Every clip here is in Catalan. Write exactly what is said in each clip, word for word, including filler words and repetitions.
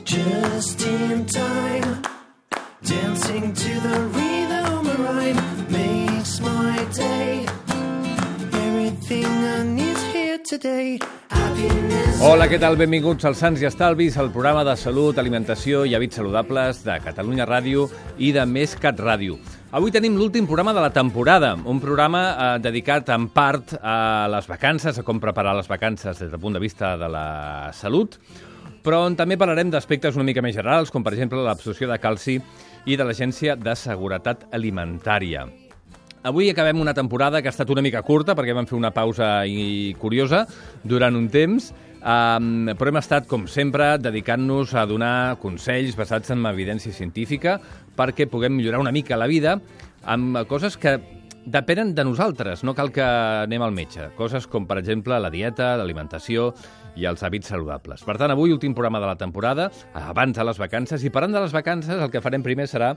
Just in time, dancing to the rhythm of rhyme makes my day. Everything I need here today. Happiness. Hola, què tal? Benvinguts als Sants i Estalvis, el programa de salut, alimentació i hàbits saludables de Catalunya Ràdio i de Més Cat Ràdio. Avui tenim l'últim programa de la temporada, un programa eh, dedicat en part a les vacances, a com preparar les vacances des del punt de vista de la salut, però on també parlarem d'aspectes una mica més generals, com per exemple l'absorció de calci i de l'Agència de Seguretat Alimentària. Avui acabem una temporada que ha estat una mica curta, perquè vam fer una pausa i curiosa durant un temps, um, però hem estat, com sempre, dedicant-nos a donar consells basats en evidència científica perquè puguem millorar una mica la vida amb coses que depenen de nosaltres, no cal que anem al metge. Coses com, per exemple, la dieta, l'alimentació i els hàbits saludables. Per tant, avui, últim programa de la temporada, abans de les vacances, i parlant de les vacances, el que farem primer serà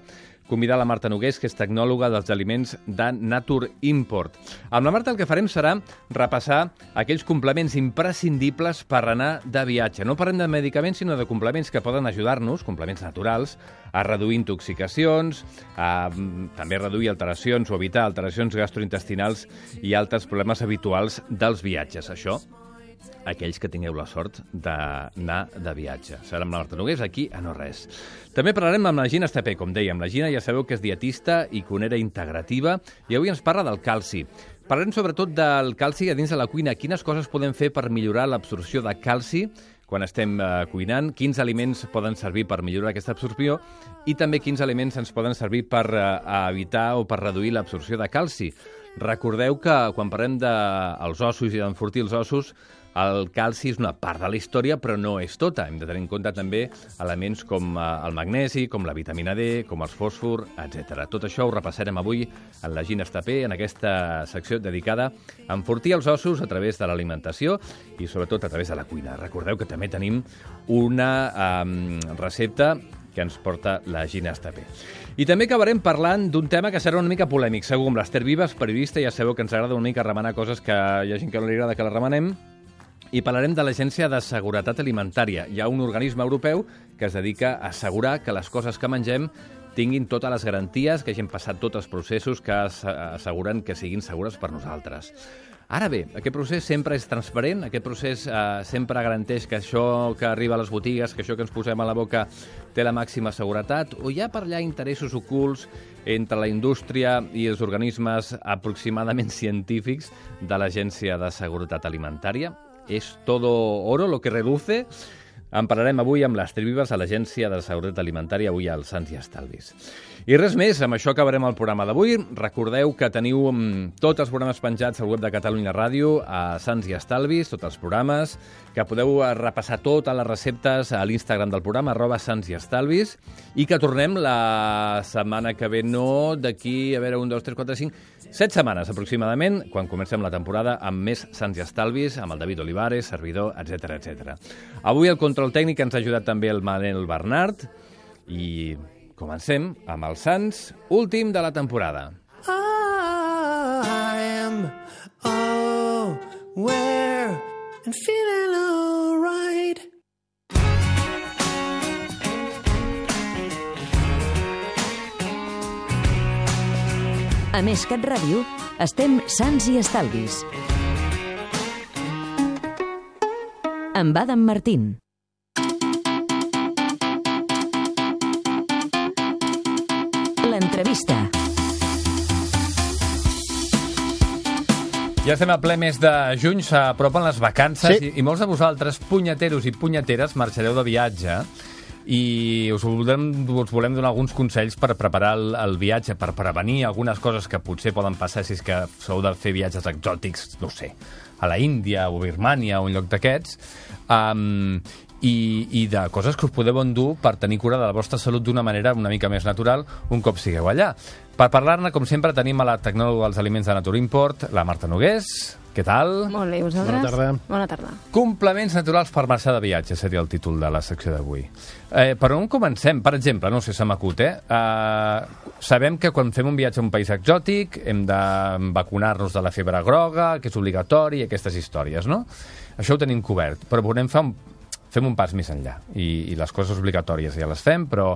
convidar la Marta Nogués, que és tecnòloga dels aliments de Nature Import. Amb la Marta el que farem serà repassar aquells complements imprescindibles per anar de viatge. No parlem de medicaments, sinó de complements que poden ajudar-nos, complements naturals, a reduir intoxicacions, a també reduir alteracions o evitar alteracions gastrointestinals i altres problemes habituals dels viatges. Això, aquells que tingueu la sort d'anar de viatge. Serà amb la Marta Nogués, aquí a No Res. També parlarem amb la Gina Estapé, com dèiem. La Gina ja sabeu que és dietista i cuinera integrativa i avui ens parla del calci. Parlarem sobretot del calci a dins de la cuina. Quines coses podem fer per millorar l'absorció de calci quan estem eh, cuinant, quins aliments poden servir per millorar aquesta absorció i també quins aliments ens poden servir per eh, evitar o per reduir l'absorció de calci. Recordeu que quan parlem dels ossos i d'enfortir els ossos, el calci és una part de la història, però no és tota. Hem de tenir en compte també elements com el magnesi, com la vitamina D, com els fòsfor, etcètera. Tot això ho repassarem avui en la Gina Estapé, en aquesta secció dedicada a enfortir els ossos a través de l'alimentació i sobretot a través de la cuina. Recordeu que també tenim una um, recepta que ens porta la Gina Estapé. I també acabarem parlant d'un tema que serà una mica polèmic, segur, amb l'Ester Vives, periodista, ja sabeu que ens agrada una mica remenar coses que hi ha gent que no li agrada que la remenem, i parlarem de l'Agència de Seguretat Alimentària. Hi ha un organisme europeu que es dedica a assegurar que les coses que mengem tinguin totes les garanties, que hagin passat tots els processos que asseguren que siguin segures per nosaltres. Ara bé, aquest procés sempre és transparent, aquest procés eh, sempre garanteix que això que arriba a les botigues, que això que ens posem a la boca té la màxima seguretat, o hi ha per allà interessos ocults entre la indústria i els organismes aproximadament científics de l'Agència de Seguretat Alimentària? És todo oro lo que reluce? En parlarem avui amb l'Ester Vives a l'Agència de Seguretat Alimentària, avui als Sants i Estalvis. I res més, amb això acabarem el programa d'avui. Recordeu que teniu tots els programes penjats al web de Catalunya Ràdio, a Sants i Estalvis, tots els programes, que podeu repassar totes les receptes a l'Instagram del programa, arroba Sants i Estalvis, i que tornem la setmana que ve, no d'aquí, a veure, un, dos, tres, quatre, cinc, set setmanes aproximadament, quan comencem la temporada amb més Sants i Estalvis, amb el David Olivares, servidor, etcètera, etcètera. Avui el control tècnic ens ha ajudat també el Manel Bernat i comencem amb els Sants, últim de la temporada. I am aware and feeling alright. A Més Cat Ràdio estem Sants i Estalvis. Amb Adam Martín. L'entrevista. Ja estem a ple mes de juny, s'apropen les vacances, Sí. i, i molts de vosaltres, punyeteros i punyeteres, marxareu de viatge i us volem, us volem donar alguns consells per preparar el, el viatge, per prevenir algunes coses que potser poden passar si és que sou de fer viatges exòtics, no sé, a la Índia o Birmània o un lloc d'aquests, um, i, i de coses que us podeu endur per tenir cura de la vostra salut d'una manera una mica més natural un cop sigueu allà. Per parlar-ne, com sempre, tenim a la tecnòloga dels aliments de Nature Import, la Marta Nogués. Què tal? Molt bé, vosaltres? Bona tarda. Bona tarda. Complements naturals per marxar de viatge seria el títol de la secció d'avui. Eh, per on comencem? Per exemple, no sé, se m'acut, eh? eh? Sabem que quan fem un viatge a un país exòtic hem de vacunar-nos de la febre groga, que és obligatori, i aquestes històries, no? Això ho tenim cobert, però volem fer un, fem un pas més enllà. I, I les coses obligatòries ja les fem, però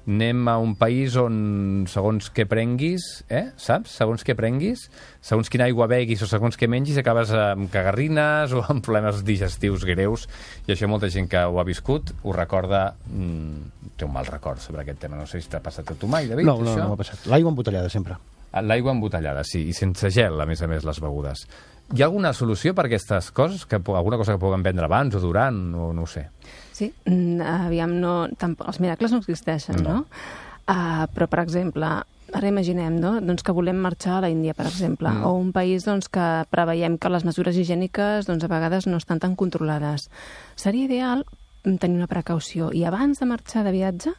anem a un país on, segons què prenguis, eh? Saps? Segons què prenguis, segons quina aigua beguis o segons què mengis, acabes amb cagarrines o amb problemes digestius greus, i això molta gent que ho ha viscut ho recorda, mmm, té un mal record sobre aquest tema. No sé si t'ha passat a tu mai, David, No, no, això? no m'ha passat. L'aigua embotellada, sempre. L'aigua embotellada, sí, i sense gel, a més a més, les begudes. Hi ha alguna solució per aquestes coses? Que, alguna cosa que puguem prendre abans o durant, o no ho sé? Sí, mm, aviam, no, tampoc, els miracles no existeixen, no? no? Uh, però, per exemple, ara imaginem, no?, doncs que volem marxar a la Índia, per exemple, mm. o un país doncs, que preveiem que les mesures higièniques doncs, a vegades no estan tan controlades. Seria ideal tenir una precaució, i abans de marxar de viatge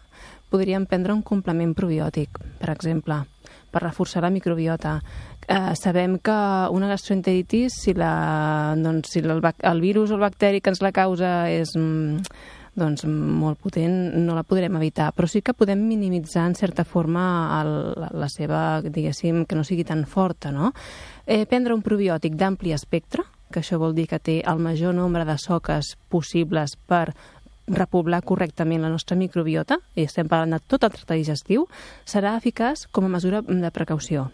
podríem prendre un complement probiòtic, per exemple, per reforçar la microbiota. Eh, sabem que una gastroenteritis, si, la, doncs, si el, el virus o el bacteri que ens la causa és doncs, molt potent, no la podrem evitar, però sí que podem minimitzar en certa forma el, la, la seva, diguéssim, que no sigui tan forta, no? Eh, prendre un probiòtic d'ampli espectre, que això vol dir que té el major nombre de soques possibles per repoblar correctament la nostra microbiota, i estem parlant de tot el tracte digestiu, serà eficaç com a mesura de precaució.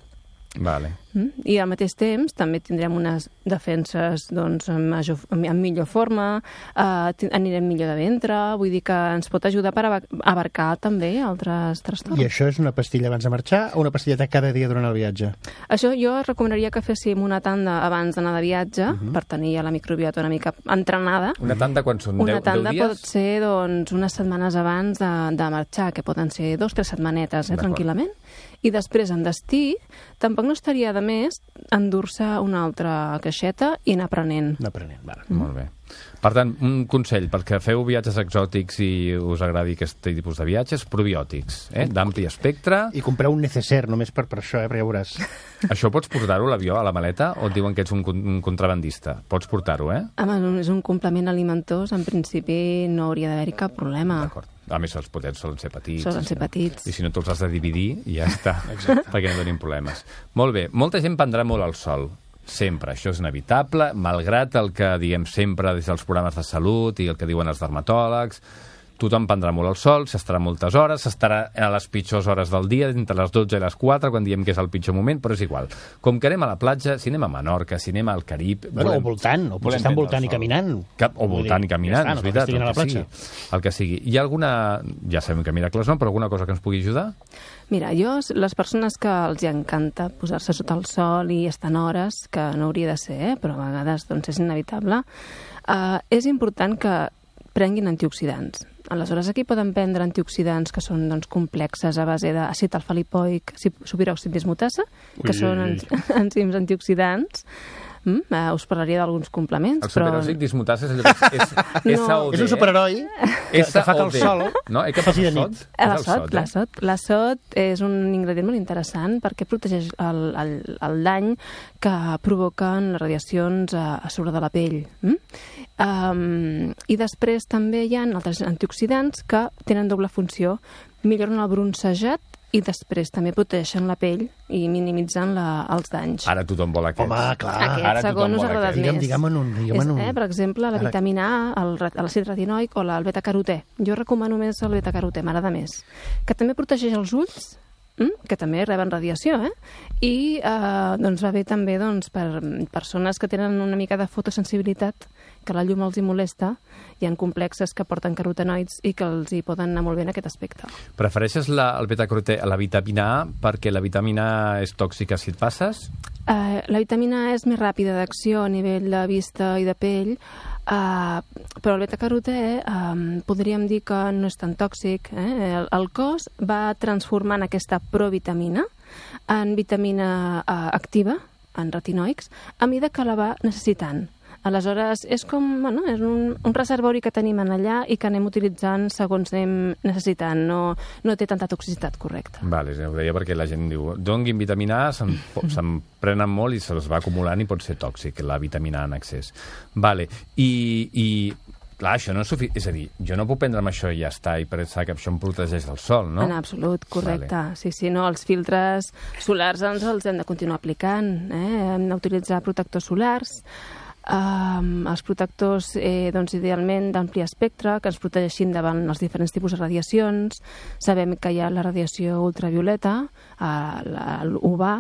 Vale. Mm? I al mateix temps també tindrem unes defenses doncs, en, major, en millor forma, eh, anirem millor de ventre, vull dir que ens pot ajudar per abarcar també altres trastorns. I això és una pastilla abans de marxar o una pastilleta cada dia durant el viatge? Això jo recomanaria que féssim una tanda abans d'anar de viatge, uh -huh. per tenir ja la microbiota una mica entrenada. Una tanda quan són una deu, tanda deu dies? pot ser doncs, unes setmanes abans de, de marxar, que poden ser dos o tres setmanetes, eh, tranquil·lament. I després, en destí, tampoc no estaria de més endur-se una altra caixeta i anar aprenent. Anar aprenent, vale. Mm. Molt bé. Per tant, un consell, perquè feu viatges exòtics i us agradi aquest tipus de viatges, probiòtics, eh? D'ampli espectre. I comprar un necessaire, només per, per això, eh? Perquè ja veuràs. Això pots portar-ho a l'avió, a la maleta, o et diuen que ets un, un contrabandista? Pots portar-ho, eh? Home, és un complement alimentós, en principi no hauria d'haver-hi cap problema. D'acord. A més, els potents solen ser petits. Solen ser petits. I si no te'ls has de dividir, ja està, perquè no tenim problemes. Molt bé, molta gent prendrà molt el sol. Sempre, això és inevitable, malgrat el que diem sempre des dels programes de salut i el que diuen els dermatòlegs. Tothom prendrà molt el sol, s'estarà moltes hores, s'estarà a les pitjors hores del dia, entre les dotze i les quatre, quan diem que és el pitjor moment, però és igual. Com que anem a la platja, si anem a Menorca, si anem al Carib... Bueno, volem, o voltant, o potser estan voltant i caminant. Cap, o voltant i caminant, ja està, és veritat, no, el que, sigui, el que sigui. Hi ha alguna, ja sabem que miracles no, però alguna cosa que ens pugui ajudar? Mira, jo, les persones que els encanta posar-se sota el sol i estar en hores, que no hauria de ser, eh, però a vegades doncs, és inevitable, eh, és important que prenguin antioxidants. Aleshores, aquí poden prendre antioxidants que són doncs, complexes a base d'àcid alfa-lipoic, superòxid dismutasa, que ui, són ui, ui. enzims antioxidants. Mm, uh, us parlaria d'alguns complements, el superòxid però... dismutasa és allò que és, és no. S O D, és un superheroi que, que fa que el sol no? Eh, que faci de nit. L'azot, l'azot, l'azot és un ingredient molt interessant perquè protegeix el, el, el dany que provoquen les radiacions a, a sobre de la pell. Mm? Um, I després també hi ha altres antioxidants que tenen doble funció, milloren el bronzejat i després també protegeixen la pell i minimitzen la, els danys. Ara tothom vol aquest. Home, clar. Aquest Ara segon us ha agradat digue'm, més. Digue'm en un. Digue'm És, en un. eh, per exemple, la vitamina A, l'àcid retinoic o el beta-carotè. Jo recomano més el beta-carotè, m'agrada més. Que també protegeix els ulls, mm, que també reben radiació, eh? I eh, doncs va bé també doncs, per persones que tenen una mica de fotosensibilitat, que la llum els hi molesta, hi ha complexes que porten carotenoids i que els hi poden anar molt bé en aquest aspecte. Prefereixes la, el beta-carotè a la vitamina A perquè la vitamina A és tòxica si et passes? Uh, la vitamina A és més ràpida d'acció a nivell de vista i de pell, uh, però el beta-carotè uh, podríem dir que no és tan tòxic. Eh? El, el cos va transformant aquesta provitamina en vitamina uh, activa, en retinoics, a mesura que la va necessitant. Aleshores, és com, bueno, és un, un reservori que tenim en allà i que anem utilitzant segons anem necessitant. No, no té tanta toxicitat correcta. Vale, ho deia perquè la gent diu donguin vitamina A, se'n, se'n prenen molt i se'ls va acumulant i pot ser tòxic, la vitamina A en excés. Vale, i... i clar, això no és suficient. És a dir, jo no puc prendre'm això i ja està, i pensar que això em protegeix del sol, no? En absolut, correcte. Vale. Sí, sí, no, els filtres solars ens els hem de continuar aplicant. Eh? Hem d'utilitzar protectors solars. Um, els protectors, eh, doncs, idealment, d'ampli espectre, que ens protegeixin davant els diferents tipus de radiacions. Sabem que hi ha la radiació ultravioleta, uh, l'U V A,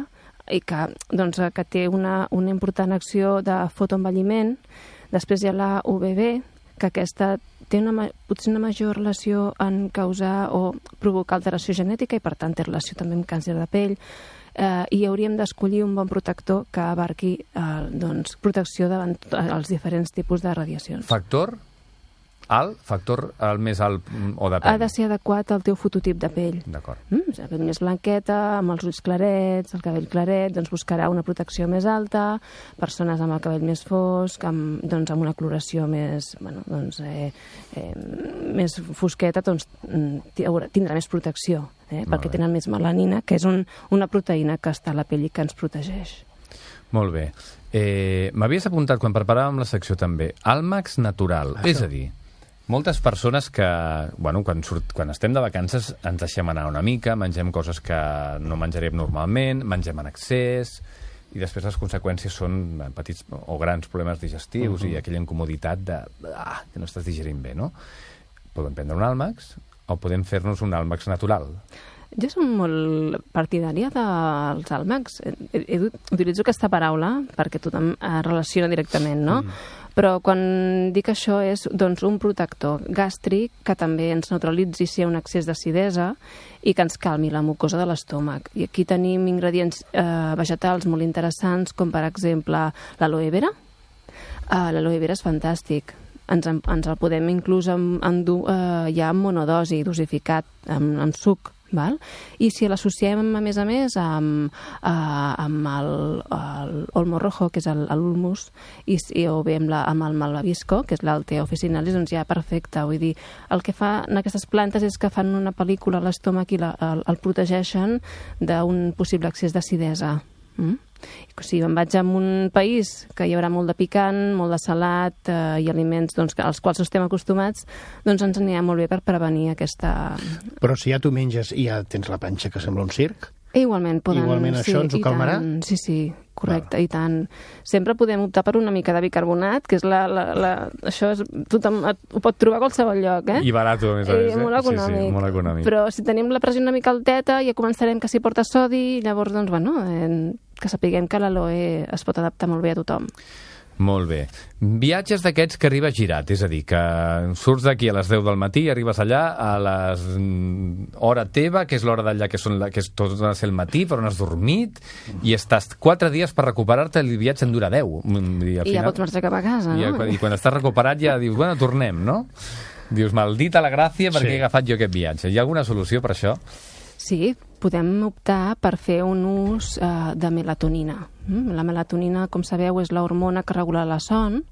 i que, doncs, que té una, una important acció de fotoenvelliment. Després hi ha la U V B, que aquesta té una, potser una major relació en causar o provocar alteració genètica i, per tant, té relació també amb càncer de pell. Eh, i hauríem d'escollir un bon protector que abarqui eh, doncs, protecció davant els diferents tipus de radiacions. Factor alt? Factor el més alt o depèn? Ha de ser adequat al teu fototip de pell. D'acord. Mm, la pell més blanqueta, amb els ulls clarets, el cabell claret, doncs buscarà una protecció més alta. Persones amb el cabell més fosc, amb, doncs, amb una coloració més, bueno, doncs, eh, eh, més fosqueta, doncs, tindrà més protecció, eh, perquè tenen més melanina, que és un, una proteïna que està a la pell i que ens protegeix. Molt bé. Eh, M'havies apuntat, quan preparàvem la secció també, Almax natural, ah, és a dir, moltes persones que, bueno, quan, surt, quan estem de vacances ens deixem anar una mica, mengem coses que no menjarem normalment, mengem en excés, i després les conseqüències són petits o grans problemes digestius uh -huh. i aquella incomoditat de ah, que no estàs digerint bé, no? Podem prendre un Almax o podem fer-nos un Almax natural. Jo soc molt partidària dels Almax. Utilitzo aquesta paraula perquè tothom es relaciona directament, no? Mm. Però quan dic això és, doncs, un protector gàstric que també ens neutralitzi si hi ha un excés d'acidesa i que ens calmi la mucosa de l'estómac. I aquí tenim ingredients eh, vegetals molt interessants, com per exemple l'aloe vera. Uh, l'aloe vera és fantàstic. Ens, ens el podem inclús endur eh, ja en monodosi, dosificat, amb, amb suc. Val? I si l'associem, a més a més, amb, uh, amb el, el olmo rojo, que és l'ulmus, i, i, o bé amb, la, amb el malvavisco, que és l'altea officinalis, doncs ja perfecte. Vull dir, el que fan aquestes plantes és que fan una pel·lícula a l'estómac i la, el, el protegeixen d'un possible excés d'acidesa. Mm? Si em vaig a un país que hi haurà molt de picant, molt de salat eh, i aliments doncs, als quals estem acostumats, doncs ens anirà molt bé per prevenir aquesta... Però si ja tu menges i ja tens la panxa que sembla un circ... Igualment, poden... Igualment això sí, ens ho calmarà? Tant, sí, sí, correcte, Val. I tant. Sempre podem optar per una mica de bicarbonat, que és la... la, la això és, tothom ho pot trobar a qualsevol lloc, eh? I barat, a més a més. Eh? Molt econòmic. Sí, sí, molt econòmic. Però si tenim la pressió una mica alteta, ja començarem que s'hi porta sodi, i llavors, doncs, bueno, eh, que sapiguem que l'aloe es pot adaptar molt bé a tothom. Molt bé. Viatges d'aquests que arribes girat, és a dir, que surts d'aquí a les deu del matí i arribes allà a les hora teva, que és l'hora d'allà, que, són la, que és tot el matí, però no has dormit, i estàs quatre dies per recuperar-te, i el viatge en dura deu. I, I ja pots marxar cap a casa, i, no? I quan estàs recuperat ja dius, bueno, tornem, no? Dius, maldita la gràcia perquè sí. he agafat jo aquest viatge. Hi ha alguna solució per això? Sí, podem optar per fer un ús uh, de melatonina. Mm? La melatonina, com sabeu, és l'hormona que regula la son,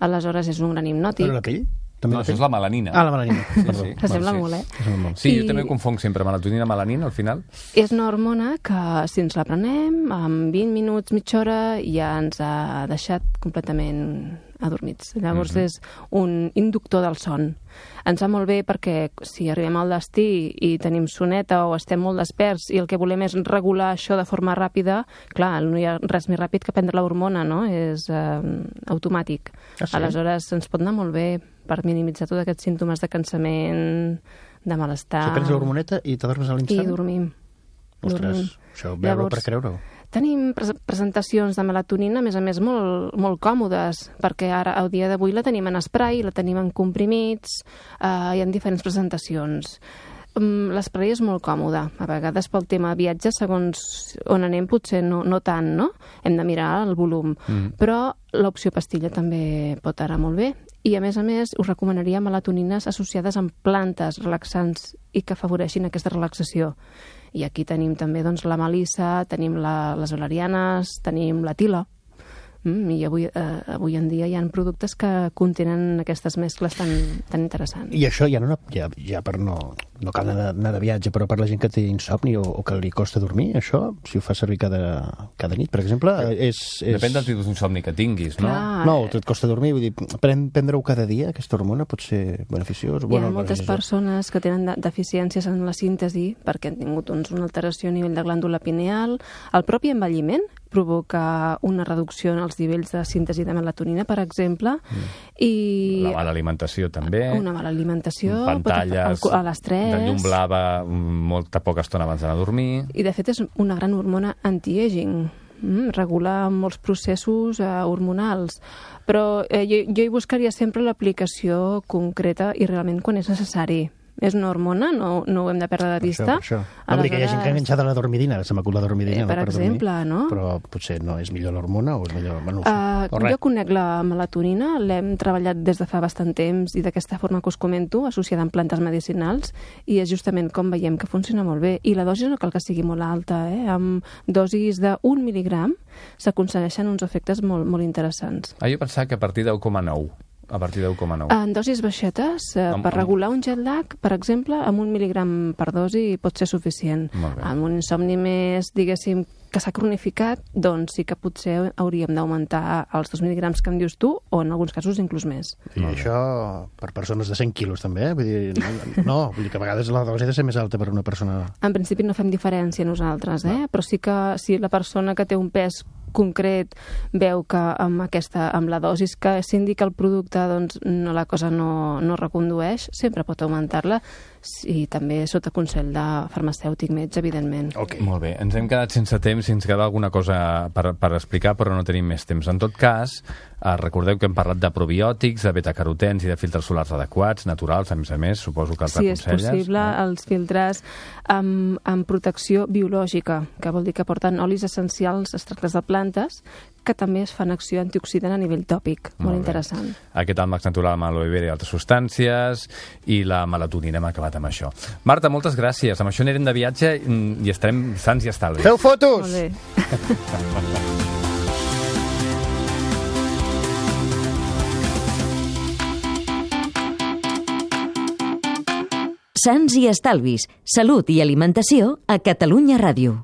aleshores és un gran hipnòtic. Però la pell? També no, la això pell? és la melanina. Ah, la melanina. Sí, Perdó. sí. S'assembla Bueno, molt, eh? sí. molt. Sí, I... jo també confonc sempre melatonina i melanina, al final. És una hormona que, si ens la prenem, en vint minuts, mitja hora, ja ens ha deixat completament adormits. Llavors mm-hmm. és un inductor del son. Ens va molt bé perquè si arribem al destí i tenim soneta o estem molt desperts i el que volem és regular això de forma ràpida, clar, no hi ha res més ràpid que prendre l'hormona, no? És eh, automàtic. Ah, sí? Aleshores ens pot anar molt bé per minimitzar tots aquests símptomes de cansament, de malestar. Si prens l'hormoneta i t'adormes a l'instant? I dormim. Ostres, dormim. això veure-ho Llavors, per creure-ho. Tenim pres presentacions de melatonina, a més a més, molt, molt còmodes, perquè ara, al dia d'avui, la tenim en spray, la tenim en comprimits, eh, hi ha diferents presentacions. Um, L'espray és molt còmode. A vegades, pel tema viatge, segons on anem, potser no, no tant, no? Hem de mirar el volum. Mm. Però l'opció pastilla també pot anar molt bé. I, a més a més, us recomanaria melatonines associades amb plantes relaxants i que afavoreixin aquesta relaxació. I aquí tenim també doncs, la melissa, tenim la, les valerianes, tenim la tila. Mm, I avui, eh, avui en dia hi ha productes que contenen aquestes mescles tan, tan interessants. I això ja, no, ja, ja per no, no cal anar, anar de viatge, però per la gent que té insomni o, o que li costa dormir, això, si ho fa servir cada, cada nit, per exemple, és... és... Depèn del tipus d'insomni que tinguis, no? Clar. No, et costa dormir, vull dir, pren, prendre-ho cada dia, aquesta hormona, pot ser beneficiós. Hi ha Bueno, moltes beneficiós. persones que tenen de deficiències en la síntesi perquè han tingut doncs, una alteració a nivell de glàndula pineal. El propi envelliment provoca una reducció en els nivells de síntesi de melatonina, per exemple, mm. i... La mala alimentació, també. Una mala alimentació, Pantalles, pot a l'estrès... de llum blava, molta poca estona abans d'anar a dormir... I, de fet, és una gran hormona anti-aging. Mm, regula molts processos eh, hormonals. Però eh, jo, jo hi buscaria sempre l'aplicació concreta i realment quan és necessari. És una hormona, no, no ho hem de perdre de vista. Per això, per això. No, Aleshores... que hi ha gent que ha enganxat a la dormidina, se m'acut la dormidina. Eh, per no, per exemple, dormir, no? Però potser no és millor l'hormona o és millor... Bueno, Uh, o res. jo conec la melatonina, l'hem treballat des de fa bastant temps i d'aquesta forma que us comento, associada amb plantes medicinals, i és justament com veiem que funciona molt bé. I la dosi no cal que sigui molt alta, eh? Amb dosis d'un mil·ligram s'aconsegueixen uns efectes molt, molt interessants. Ah, jo pensava que a partir d'u coma nou. A partir d'u coma nou. En dosis baixetes, eh, Amb- per amb- regular un jet lag, per exemple, amb un mil·ligram per dosi pot ser suficient. Molt bé. Amb un insomni més, diguéssim, que s'ha cronificat, doncs sí que potser hauríem d'augmentar els dos mil·ligrams que em dius tu, o en alguns casos inclús més. I això per persones de cent quilos, també, eh? Vull dir, no, no, vull dir que a vegades la dosi ha de ser més alta per una persona... En principi no fem diferència nosaltres, eh? Però sí que si la persona que té un pes concret veu que amb, aquesta, amb la dosis que s'indica el producte doncs, no, la cosa no, no recondueix, sempre pot augmentar-la i també sota consell de farmacèutic metge, evidentment. Ok. Molt bé, ens hem quedat sense temps i ens queda alguna cosa per, per explicar, però no tenim més temps. En tot cas, eh, recordeu que hem parlat de probiòtics, de betacarotens i de filtres solars adequats, naturals, a més a més, suposo que els Sí, és aconselles. possible, no? els filtres amb, amb protecció biològica, que vol dir que porten olis essencials extractes de plantes que també es fan acció antioxidant a nivell tòpic. Molt, Molt bé. interessant. Aquest àlmax natural amb aloe vera i altres substàncies, i la melatonina, hem acabat amb això. Marta, moltes gràcies. Amb això anirem de viatge i estarem sants i estalvis. Feu fotos! Molt bé. Sants i estalvis, salut i alimentació a Catalunya Ràdio.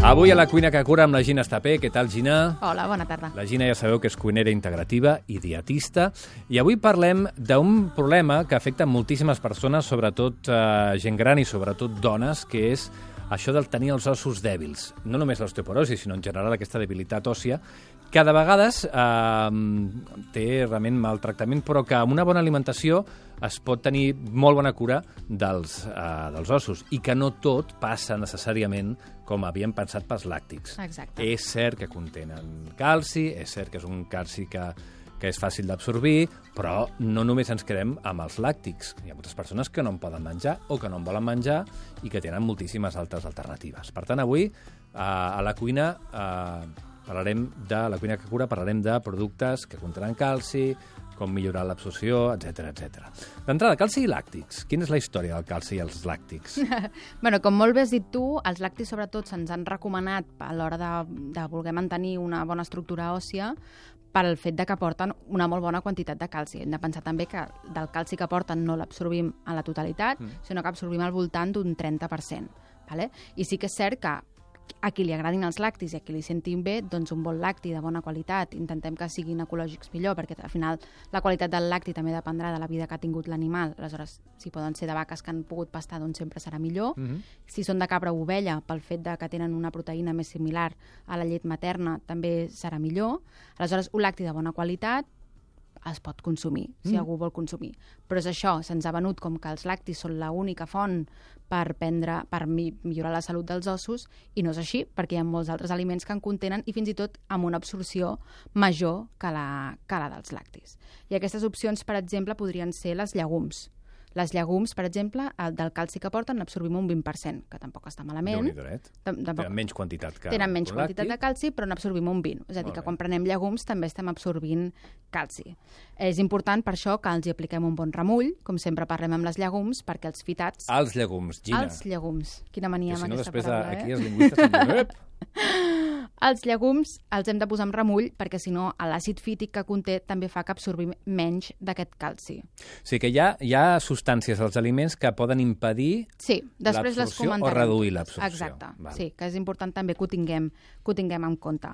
Avui a la Cuina que cura amb la Gina Estapé. Què tal, Gina? Hola, bona tarda. La Gina ja sabeu que és cuinera integrativa i dietista. I avui parlem d'un problema que afecta moltíssimes persones, sobretot eh, gent gran i sobretot dones, que és això del tenir els ossos dèbils. No només l'osteoporosi, sinó en general aquesta debilitat òssia, que de vegades eh, té realment mal tractament, però que amb una bona alimentació es pot tenir molt bona cura dels, eh, dels ossos i que no tot passa necessàriament com havíem pensat pels làctics. Exacte. És cert que contenen calci, és cert que és un calci que, que és fàcil d'absorbir, però no només ens quedem amb els làctics. Hi ha moltes persones que no en poden menjar o que no en volen menjar i que tenen moltíssimes altres alternatives. Per tant, avui, eh, a la cuina, eh, parlarem de la cuina que cura, parlarem de productes que contenen calci, com millorar l'absorció, etcètera, etcètera. D'entrada, calci i làctics. Quina és la història del calci i els làctics? Bueno, com molt bé has dit tu, els làctics sobretot se'ns han recomanat a l'hora de, de voler mantenir una bona estructura òssia pel fet de que porten una molt bona quantitat de calci. Hem de pensar també que del calci que porten no l'absorbim a la totalitat, mm. sinó que absorbim al voltant d'un trenta per cent. Vale? I sí que és cert que a qui li agradin els làctics i a qui li sentin bé, doncs un bon lacti de bona qualitat. Intentem que siguin ecològics millor, perquè al final la qualitat del lacti també dependrà de la vida que ha tingut l'animal. Aleshores, si poden ser de vaques que han pogut pastar, doncs sempre serà millor. Mm-hmm. Si són de cabra o ovella, pel fet de que tenen una proteïna més similar a la llet materna, també serà millor. Aleshores, un lacti de bona qualitat es pot consumir, si mm. algú vol consumir. Però és això, se'ns ha venut com que els lactis són l'única font per prendre, per mi, millorar la salut dels ossos, i no és així, perquè hi ha molts altres aliments que en contenen i fins i tot amb una absorció major que la, que la dels lactis. I aquestes opcions, per exemple, podrien ser les llegums. Les llegums, per exemple, el del calci que porten n'absorbim un vint per cent, que tampoc està malament. Déu-n'hi-do, Tam- tampoc- Tenen menys quantitat que Tenen menys un quantitat de làctic. calci, però n'absorbim un vint. És a dir, Molt que bé. quan prenem llegums també estem absorbint calci. És important per això que els hi apliquem un bon remull, com sempre parlem amb les llegums, perquè els fitats... Els llegums, Gina. Els llegums. Quina mania Que si amb no, aquesta després paraula, de, aquí eh? els lingüistes em diuen, ep! Els llegums els hem de posar en remull perquè, si no, l'àcid fític que conté també fa que absorbim menys d'aquest calci. O sigui que hi ha, hi ha substàncies als aliments que poden impedir Sí, després les l'absorció o comentarem. reduir l'absorció. Exacte, Val. sí, que és important també que ho tinguem, que ho tinguem en compte.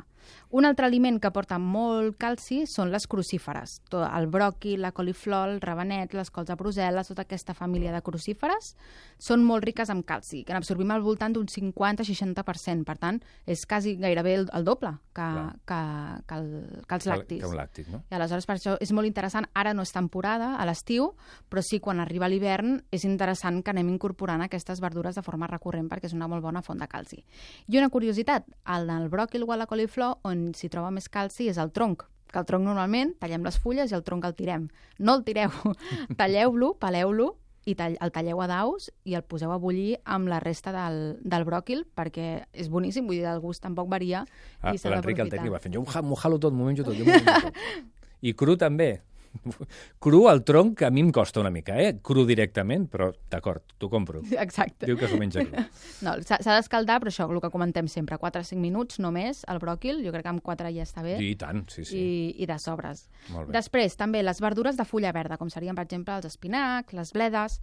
Un altre aliment que porta molt calci són les crucíferes. Tot el bròquil, la coliflor, el rabanet, les cols de Brussel·les, tota aquesta família de crucíferes són molt riques en calci, que n'absorbim al voltant d'un cinquanta a seixanta per cent. Per tant, és quasi gairebé el, el doble que, que, que, el, que els que, lactis. que un làctic, no? I aleshores per això és molt interessant, ara no és temporada, a l'estiu, però sí quan arriba l'hivern és interessant que anem incorporant aquestes verdures de forma recurrent perquè és una molt bona font de calci. I una curiositat, el del bròquil o a la coliflor, on s'hi troba més calci és el tronc, que el tronc normalment tallem les fulles i el tronc el tirem. No el tireu, talleu-lo, peleu-lo i tall, el talleu a daus i el poseu a bullir amb la resta del, del bròquil perquè és boníssim, vull dir, el gust tampoc varia Ah, i s'ha L'Enric el d'aprofitar. tècnic va fent, jo m'ho jalo tot, m'ho menjo tot, jo m'ho menjo tot. I cru també. Cru al tronc a mi em costa una mica, eh? Cru directament, però d'acord, t'ho compro. Exacte. Diu que s'ho menja cru. No, s'ha s'ha d'escaldar, però això, el que comentem sempre, quatre a cinc minuts només, el bròquil, jo crec que amb quatre ja està bé. I tant, sí, sí. I, i de sobres. Molt bé. Després, també, les verdures de fulla verda, com serien, per exemple, els espinacs, les bledes,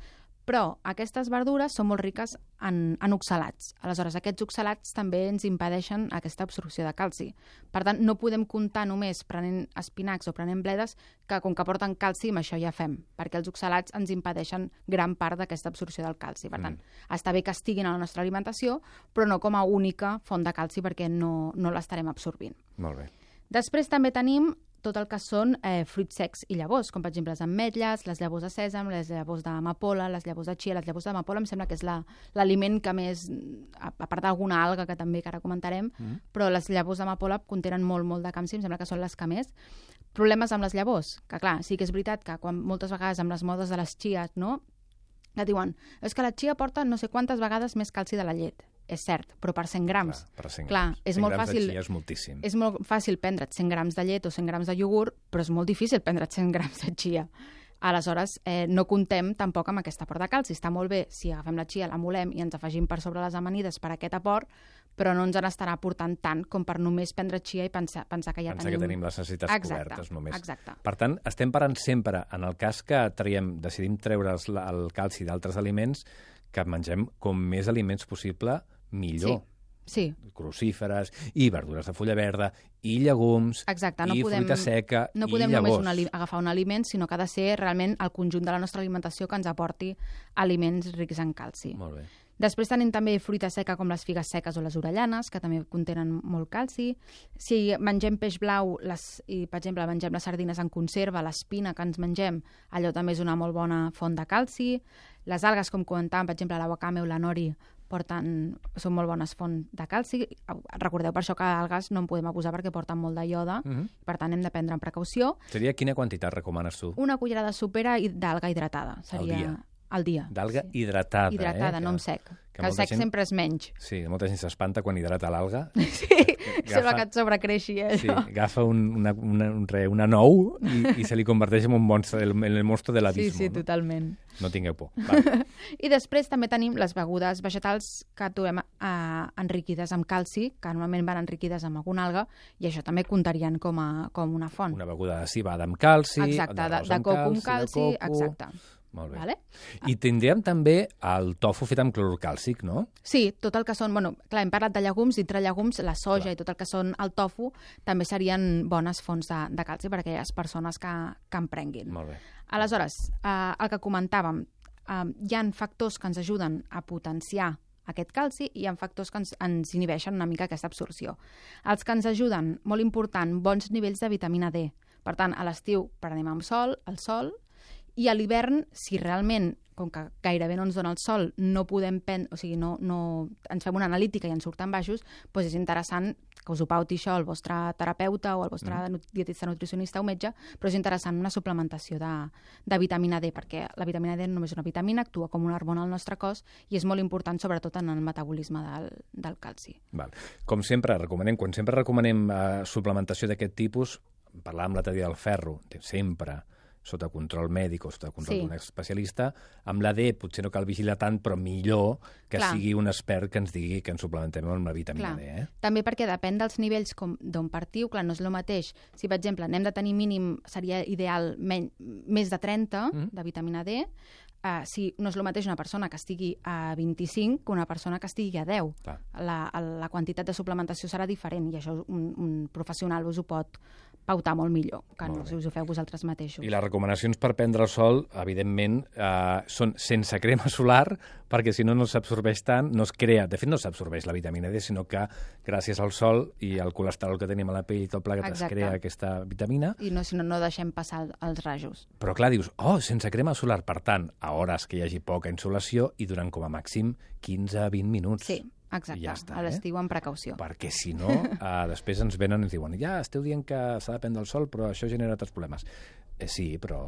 però aquestes verdures són molt riques en, en oxalats. Aleshores, aquests oxalats també ens impedeixen aquesta absorció de calci. Per tant, no podem comptar només prenent espinacs o prenent bledes, que com que porten calci, amb això ja fem, perquè els oxalats ens impedeixen gran part d'aquesta absorció del calci. Per tant, mm. està bé que estiguin a la nostra alimentació, però no com a única font de calci, perquè no, no l'estarem absorbint. Molt bé. Després també tenim tot el que són eh, fruits secs i llavors, com per exemple les ametlles, les llavors de sèsam, les llavors d'amapola, les llavors de chia. Les llavors d'amapola em sembla que és l'aliment la, que més, a, a part d'alguna alga que també que ara comentarem, mm. però les llavors d'amapola contenen molt, molt de calci, em sembla que són les que més. Problemes amb les llavors, que clar, sí que és veritat que quan moltes vegades amb les modes de les chias, no?, que diuen, és que la chia porta no sé quantes vegades més calci de la llet. És cert, però per cent grams. Clar, per cent Clar, grams. és cent molt grams fàcil. de chia és moltíssim. És molt fàcil prendre't cent grams de llet o cent grams de iogurt, però és molt difícil prendre't cent grams de chia. Aleshores, eh, no comptem tampoc amb aquest aport de calci. Està molt bé si agafem la chia, la molem i ens afegim per sobre les amanides per aquest aport, però no ens en estarà aportant tant com per només prendre chia i pensar, pensar que ja Pensar tenim... que tenim les necessitats exacte, cobertes només. Exacte. Per tant, estem parant sempre, en el cas que traiem, decidim treure els- el calci d'altres aliments, que mengem com més aliments possible, millor. Sí, Crucíferes, i verdures de fulla verda, i llegums, exacte. No i podem, fruita seca, no i podem només llavors. un ali- agafar un aliment, sinó que ha de ser realment el conjunt de la nostra alimentació que ens aporti aliments rics en calci. Molt bé. Després tenim també fruita seca com les figues seques o les orellanes, que també contenen molt calci. Si mengem peix blau les, i, per exemple, mengem les sardines en conserva, l'espina que ens mengem, allò també és una molt bona font de calci. Les algues, com comentàvem, per exemple, la wakame o la nori, porten, són molt bones fonts de calci. Recordeu per això que algues no en podem abusar perquè porten molt de ioda, Mhm. per tant hem de prendre amb precaució. Seria quina quantitat recomanes tu? Una cullerada sopera i- d'alga hidratada. Seria dia. al dia. D'alga sí. hidratada, Hidratada, eh? no Que- amb sec. que Que el molta sec gent- sempre és menys. Sí, molta gent s'espanta quan hidrata l'alga. Sí, sembla que et sobrecreixi, eh, Sí, això. agafa un, una, una, un re, una nou i, i se li converteix en un monstre, el, en el monstre de Sí, l'abismo. sí, no? totalment. No tingueu por. Val. I després també tenim les begudes vegetals que trobem eh, enriquides amb calci, que normalment van enriquides amb alguna alga, i això també comptarien com, a, com una font. Una beguda de cibada amb calci, Exacte, de, d'arròs de amb coco amb calci, calci, de coco... exacte. Molt bé. Vale? I tindríem també el tofu fet amb clorur càlcic, no? Sí, tot el que són... Bueno, clar, hem parlat de llegums, dintre llegums, la soja Clar. i tot el que són el tofu també serien bones fonts de, de calci per a aquelles persones que, que en prenguin. Molt bé. Aleshores, eh, el que comentàvem, eh, hi ha factors que ens ajuden a potenciar aquest calci i hi ha factors que ens, ens inhibeixen una mica aquesta absorció. Els que ens ajuden, molt important, bons nivells de vitamina D. Per tant, a l'estiu prenem amb sol, el sol, i a l'hivern, si realment com que gairebé no ens dona el sol, no podem prendre, o sigui, no, no, ens fem una analítica i ens surten baixos, doncs és interessant que us ho pauti això el vostre terapeuta o el vostre mm. dietista, nutricionista o metge, però és interessant una suplementació de, de vitamina D, perquè la vitamina D només és una vitamina, actua com una hormona al nostre cos i és molt important, sobretot en el metabolisme del, del calci. Val. Com sempre, recomanem, quan sempre recomanem uh, suplementació d'aquest tipus, parlàvem l'altre dia del ferro, sempre sota control mèdic o sota control sí. d'un especialista, amb la D potser no cal vigilar tant, però millor que Clar. sigui un expert que ens digui que ens suplementem amb la vitamina Clar. D. Eh? També perquè depèn dels nivells d'on partiu, clar, no és el mateix. Si, per exemple, anem de tenir mínim, seria ideal men més de trenta mm. de vitamina D, Uh, si no és el mateix una persona que estigui a vint-i-cinc que una persona que estigui a deu. La, la quantitat de suplementació serà diferent i això un, un professional us ho pot pautar molt millor que molt no bé. si us ho feu vosaltres mateixos. I les recomanacions per prendre el sol, evidentment, eh, són sense crema solar, perquè si no no s'absorbeix tant, no es crea, de fet no s'absorbeix la vitamina D, sinó que gràcies al sol i al colesterol que tenim a la pell i tot plegat es crea aquesta vitamina. I no, si no, no deixem passar els rajos. Però clar, dius, oh, sense crema solar, per tant, a hores que hi hagi poca insolació i durant com a màxim quinze a vint minuts. Sí, exacte, ja està, a l'estiu eh? amb precaució. Perquè si no, eh, després ens venen i ens diuen ja, esteu dient que s'ha de prendre el sol, però això genera altres problemes. Eh, sí, però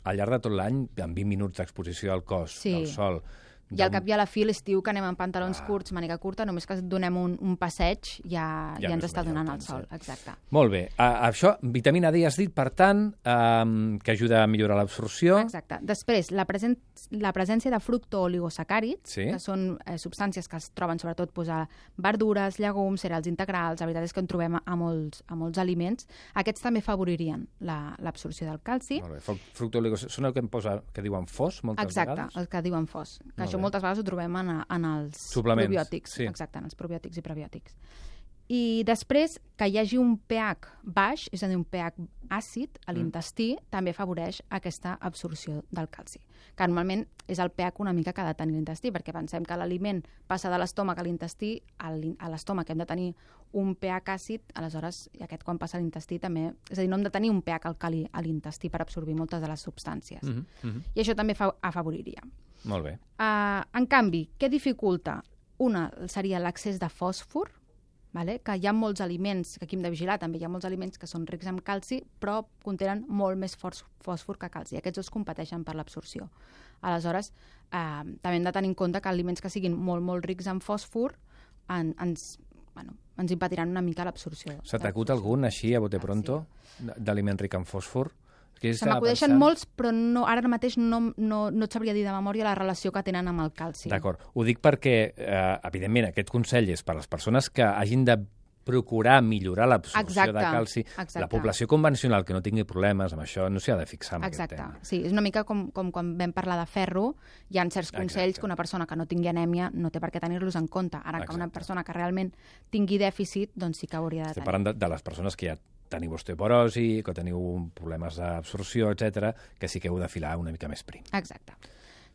al llarg de tot l'any, amb vint minuts d'exposició al cos, sí. del sol... I al cap i a la fi, l'estiu, que anem amb pantalons ah. curts, màniga curta, només que donem un, un passeig ja, ja, ja ens està donant el sol. Exacte. Molt bé. Uh, això, vitamina D has dit, per tant, um, que ajuda a millorar l'absorció. Exacte. Després, la, presen la presència de fructooligosacàrids, sí. que són eh, substàncies que es troben sobretot pues, a verdures, llegums, cereals integrals, la veritat és que en trobem a molts, a molts aliments. Aquests també favoririen l'absorció del calci. Molt bé. Fructooligosacàrids, són el que em posa, que diuen fos, moltes Exacte, vegades? Exacte, el que diuen fos. Que això moltes vegades ho trobem en, en els suplements, probiòtics. Sí. Exacte, en els probiòtics i prebiòtics. I després, que hi hagi un pH baix, és a dir, un pH àcid a l'intestí, mm. també afavoreix aquesta absorció del calci. Que normalment és el pH una mica que ha de tenir l'intestí, perquè pensem que l'aliment passa de l'estómac a l'intestí, a l'estómac hem de tenir un pH àcid, aleshores, i aquest quan passa a l'intestí també... És a dir, no hem de tenir un pH alcalí a l'intestí per absorbir moltes de les substàncies. Mm -hmm. I això també fa afavoriria. Molt bé. Uh, en canvi, què dificulta? Una seria l'accés de fòsfor, vale? Que hi ha molts aliments, que aquí hem de vigilar també, hi ha molts aliments que són rics en calci, però contenen molt més fòsfor que calci. Aquests dos competeixen per l'absorció. Aleshores, uh, també hem de tenir en compte que aliments que siguin molt, molt rics en fòsfor en, ens, bueno, ens impediran una mica l'absorció. Se t'acut algun, així, a bote pronto, sí. d'aliment ric en fòsfor? Se m'acudeixen molts, però no, ara mateix no, no, no et sabria dir de memòria la relació que tenen amb el calci. D'acord. Ho dic perquè, eh, evidentment, aquest consell és per a les persones que hagin de procurar millorar l'absorció de calci. Exacte. La població convencional que no tingui problemes amb això no s'hi ha de fixar en exacte. aquest tema. Sí, és una mica com, com quan vam parlar de ferro, hi ha certs consells exacte. que una persona que no tingui anèmia no té per què tenir-los en compte. Ara exacte. que una persona que realment tingui dèficit, doncs sí que hauria de Estem tenir. parlant de, de les persones que ja teniu osteoporosi, que teniu problemes d'absorció, etcètera, que sí que heu de filar una mica més prim. Exacte.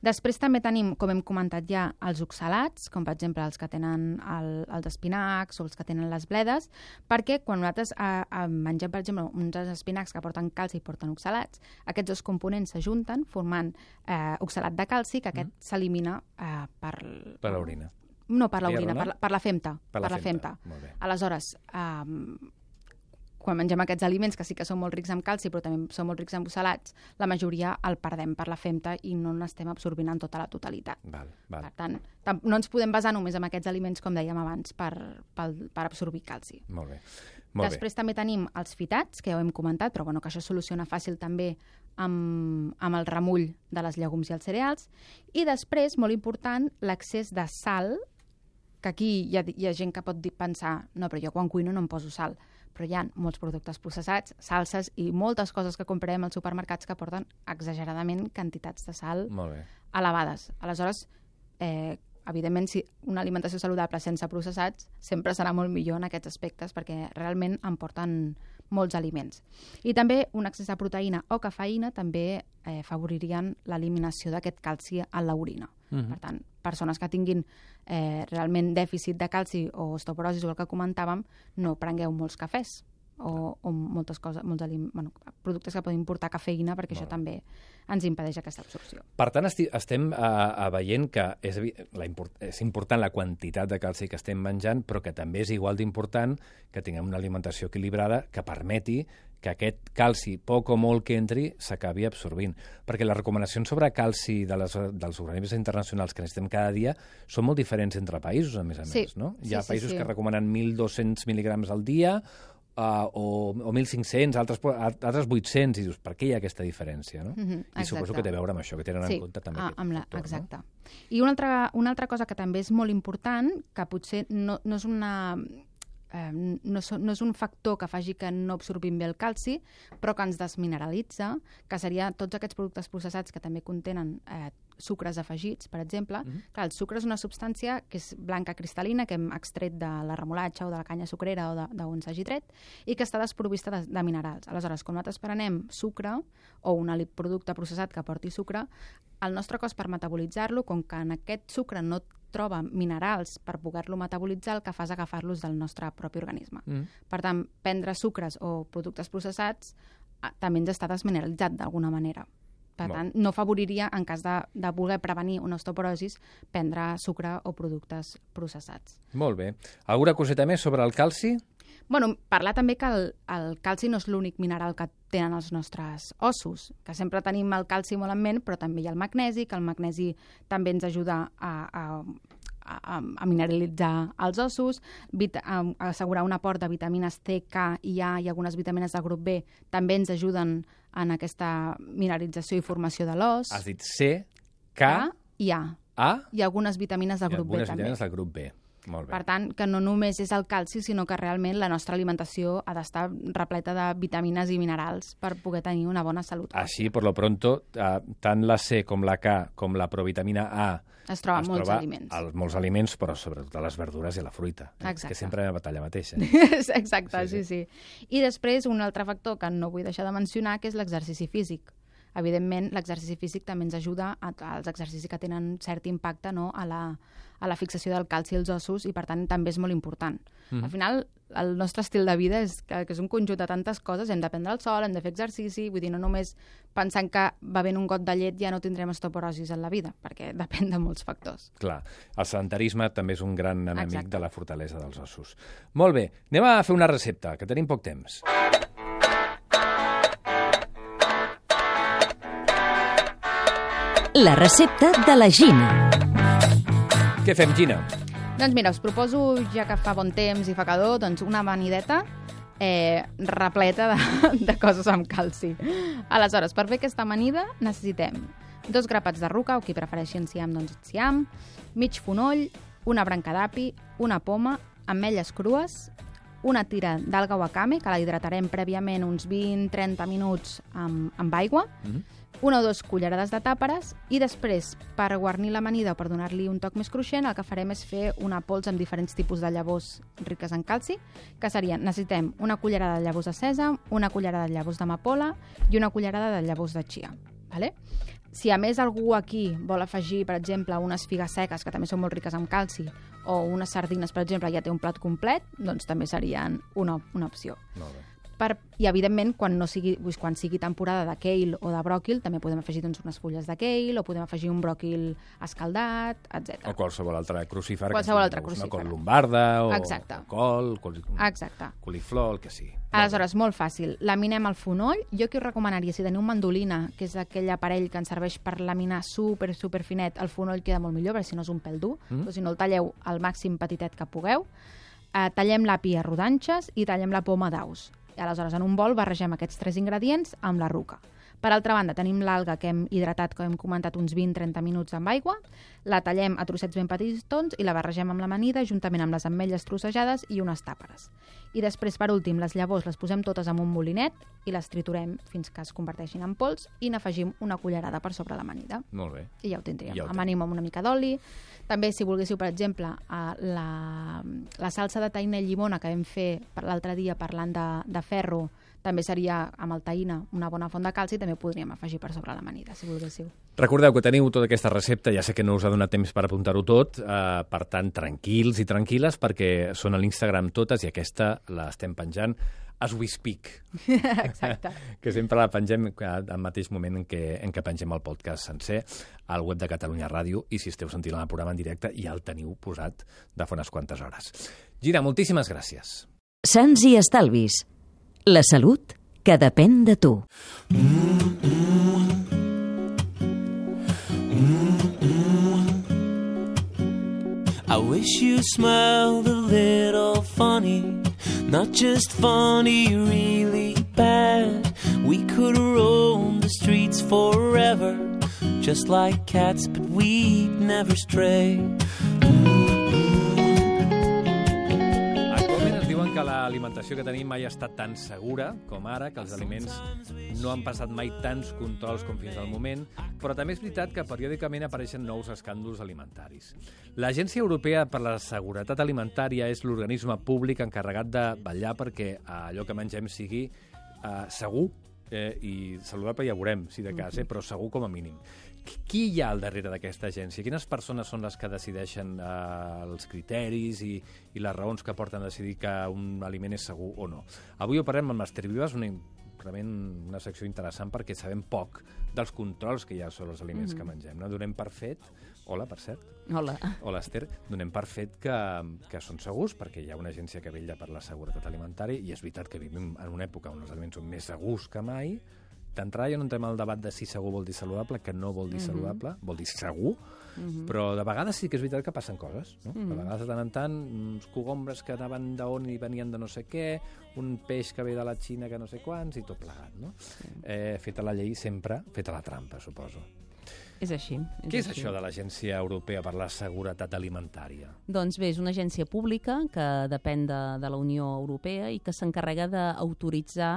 Després també tenim, com hem comentat ja, els oxalats, com per exemple els que tenen el, els espinacs o els que tenen les bledes, perquè quan nosaltres eh, eh, mengem, per exemple, uns espinacs que porten calci i porten oxalats, aquests dos components s'ajunten formant eh, oxalat de calci, que aquest mm. s'elimina eh, per... Per l'orina. No, per l'orina, per, la, per la femta. Per la, per la femta. femta. Molt bé. Aleshores, eh, quan mengem aquests aliments, que sí que són molt rics en calci, però també són molt rics en oxalats, la majoria el perdem per la femta i no n'estem absorbint en tota la totalitat. Val, val. Per tant, no ens podem basar només en aquests aliments, com dèiem abans, per, per, per absorbir calci. Molt bé. Molt Després bé. també tenim els fitats, que ja ho hem comentat, però bueno, que això es soluciona fàcil també amb, amb el remull de les llegums i els cereals. I després, molt important, l'accés de sal, que aquí hi ha, hi ha gent que pot dir, pensar no, però jo quan cuino no em poso sal, però hi ha molts productes processats, salses i moltes coses que comprem als supermercats que porten exageradament quantitats de sal elevades. Aleshores, eh, evidentment, si una alimentació saludable sense processats sempre serà molt millor en aquests aspectes perquè realment en porten molts aliments. I també un excés de proteïna o cafeïna també eh, favoririen l'eliminació d'aquest calci a l'orina. Mm-hmm. Per tant, persones que tinguin eh, realment dèficit de calci o osteoporosi o el que comentàvem, no prengueu molts cafès, o, o moltes coses, molts alim... bueno, productes que poden portar cafeïna, perquè això també ens impedeix aquesta absorció. Per tant, esti estem uh, veient que és, la import és important la quantitat de calci que estem menjant, però que també és igual d'important que tinguem una alimentació equilibrada que permeti que aquest calci, poc o molt que entri, s'acabi absorbint. Perquè les recomanacions sobre calci de les, dels organismes internacionals que necessitem cada dia són molt diferents entre països, a més a sí. més. No? Hi Sí, ha sí, països sí. que recomanen mil dos-cents mil·ligrams al dia, Uh, o, o mil cinc-cents, altres, altres vuit-cents, i dius, per què hi ha aquesta diferència? No? Mhm, I suposo exacte. que té a veure amb això, que tenen Sí, en compte també ah, aquest amb la, factor. exacte. No? I una altra, una altra cosa que també és molt important, que potser no, no és una... Eh, no, so, no és un factor que faci que no absorbim bé el calci, però que ens desmineralitza, que seria tots aquests productes processats que també contenen eh, sucres afegits, per exemple. Mm-hmm. Clar, el sucre és una substància que és blanca cristal·lina, que hem extret de la remolatxa o de la canya sucrera o d'on s'hagi tret, i que està desprovista de, de minerals. Aleshores, quan nosaltres prenem sucre o un producte processat que porti sucre, el nostre cos per metabolitzar-lo, com que en aquest sucre no troba minerals per poder-lo metabolitzar, el que fa és agafar-los del nostre propi organisme. Mm. Per tant, prendre sucres o productes processats també ens està desmineralitzat d'alguna manera. Per tant, no favoriria, en cas de, de voler prevenir una osteoporosis, prendre sucre o productes processats. Molt bé. Alguna coseta més sobre el calci? Bueno, parlar també que el, el calci no és l'únic mineral que tenen els nostres ossos, que sempre tenim el calci molt en ment, però també hi ha el magnesi, que el magnesi també ens ajuda a, a, a, a mineralitzar els ossos, vita, a, a assegurar un aport de vitamines C, K i A i algunes vitamines del grup B també ens ajuden en aquesta mineralització i formació de l'os. Has dit C, K, K i A. A I algunes vitamines del i grup B algunes també. vitamines del grup B. Molt bé. Per tant, que no només és el calci, sinó que realment la nostra alimentació ha d'estar repleta de vitamines i minerals per poder tenir una bona salut. Així, per lo pronto, eh, tant la C com la K com la provitamina A es troba es molts troba aliments. als molts aliments, però sobretot a les verdures i a la fruita. Exacte. Que sempre hi ha una batalla mateixa. Exacte, sí, sí, sí. I després, un altre factor que no vull deixar de mencionar, que és l'exercici físic. Evidentment, l'exercici físic també ens ajuda a, als exercicis que tenen cert impacte, no?, a, la, a la fixació del calci als ossos i, per tant, també és molt important. Mm. Al final, el nostre estil de vida és que, que és un conjunt de tantes coses. Hem de prendre el sol, hem de fer exercici, vull dir, no només pensant que bevent un got de llet ja no tindrem osteoporosis en la vida, perquè depèn de molts factors. Clar, el sedentarisme també és un gran enemic Exacte. de la fortalesa dels ossos. Molt bé, anem a fer una recepta, que tenim poc temps. La recepta de la Gina. Què fem, Gina? Doncs mira, us proposo, ja que fa bon temps i fa calor, doncs una amanideta eh, repleta de, de coses amb calci. Aleshores, per fer aquesta amanida necessitem dos grapats de ruca, o qui prefereixi enciam, doncs enciam, mig fonoll, una branca d'api, una poma, ametlles crues, una tira d'alga wakame, que la hidratarem prèviament uns vint a trenta minuts amb, amb aigua, mm-hmm. una o dues cullerades de tàperes, i després, per guarnir l'amanida o per donar-li un toc més cruixent, el que farem és fer una pols amb diferents tipus de llavors riques en calci, que serien, necessitem una cullerada de llavors de sèsam, una cullerada de llavors d'amapola i una cullerada de llavors de chia. Vale? Si a més algú aquí vol afegir, per exemple, unes figues seques, que també són molt riques en calci, o unes sardines, per exemple, ja té un plat complet, doncs també serien una, una opció. Molt bé. Per, I, evidentment, quan, no sigui, quan sigui temporada de kale o de bròquil, també podem afegir doncs, unes fulles de kale, o podem afegir un bròquil escaldat, etcètera. O qualsevol altre crucífer. Qualsevol que altre una crucífer. col lombarda, o, Exacte. o col, col, Exacte. coliflor, el que sigui. Aleshores, molt fàcil. Laminem el fonoll. Jo aquí us recomanaria, si teniu mandolina, que és aquell aparell que ens serveix per laminar super, super finet, el fonoll queda molt millor, perquè si no és un pèl dur. Mm. Però si no, el talleu al màxim petitet que pugueu. Eh, tallem l'api a rodanxes i tallem la poma d'aus. I aleshores, en un bol, barregem aquests tres ingredients amb la ruca. Per altra banda, tenim l'alga que hem hidratat, com hem comentat, uns vint a trenta minuts amb aigua, la tallem a trossets ben petitons i la barregem amb l'amanida juntament amb les ametlles trossejades i unes tàperes. I després, per últim, les llavors les posem totes en un molinet i les triturem fins que es converteixin en pols i n'afegim una cullerada per sobre l'amanida. Molt bé. I ja ho tindríem. Ja ho Amanim amb una mica d'oli. També, si volguéssiu, per exemple, la, la salsa de taïna i llimona que vam fer l'altre dia parlant de, de ferro, també seria amb el taïna una bona font de calci, també ho podríem afegir per sobre l'amanida, si volguéssiu. Recordeu que teniu tota aquesta recepta, ja sé que no us ha donat temps per apuntar-ho tot, eh, per tant, tranquils i tranquil·les, perquè són a l'Instagram totes i aquesta l'estem penjant as we speak. Exacte. Que sempre la pengem al mateix moment en què, en què pengem el podcast sencer al web de Catalunya Ràdio, i si esteu sentint el programa en directe ja el teniu posat de fa unes quantes hores. Gina, moltíssimes gràcies. Sants i estalvis. La salut que depèn de tu. I wish you smiled a little funny, not just funny, really bad. We could roam the streets forever, just like cats, but we'd never stray. Actualment es diuen que l'alimentació que tenim mai ha estat tan segura com ara, que els aliments no han passat mai tants controls com fins al moment, però també és veritat que periòdicament apareixen nous escàndols alimentaris. L'Agència Europea per la Seguretat Alimentària és l'organisme públic encarregat de vetllar perquè allò que mengem sigui eh, segur eh, i saludable, ja veurem, si de cas, eh, però segur com a mínim. Qui hi ha al darrere d'aquesta agència? Quines persones són les que decideixen eh, els criteris i, i les raons que porten a decidir que un aliment és segur o no? Avui ho parlem amb l'Ester Vives, una, una secció interessant perquè sabem poc dels controls que hi ha sobre els aliments mm-hmm. que mengem. No? Donem per fet, hola, per cert. Hola. Hola, Esther. Donem per fet que, que són segurs perquè hi ha una agència que vetlla per la seguretat alimentària i és veritat que vivim en una època on els aliments són més segurs que mai. D'entrada ja no entrem al debat de si segur vol dir saludable, que no vol dir mm-hmm. saludable, vol dir segur, mm-hmm. però de vegades sí que és veritat que passen coses. No? Mm-hmm. De vegades de tant en tant, uns cogombres que anaven d'on i venien de no sé què, un peix que ve de la Xina que no sé quants, i tot plegat. No? Mm. Eh, feta la llei sempre, feta la trampa, suposo. És així. És Què és així. això de l'Agència Europea per la Seguretat Alimentària? Doncs bé, és una agència pública que depèn de, de la Unió Europea i que s'encarrega d'autoritzar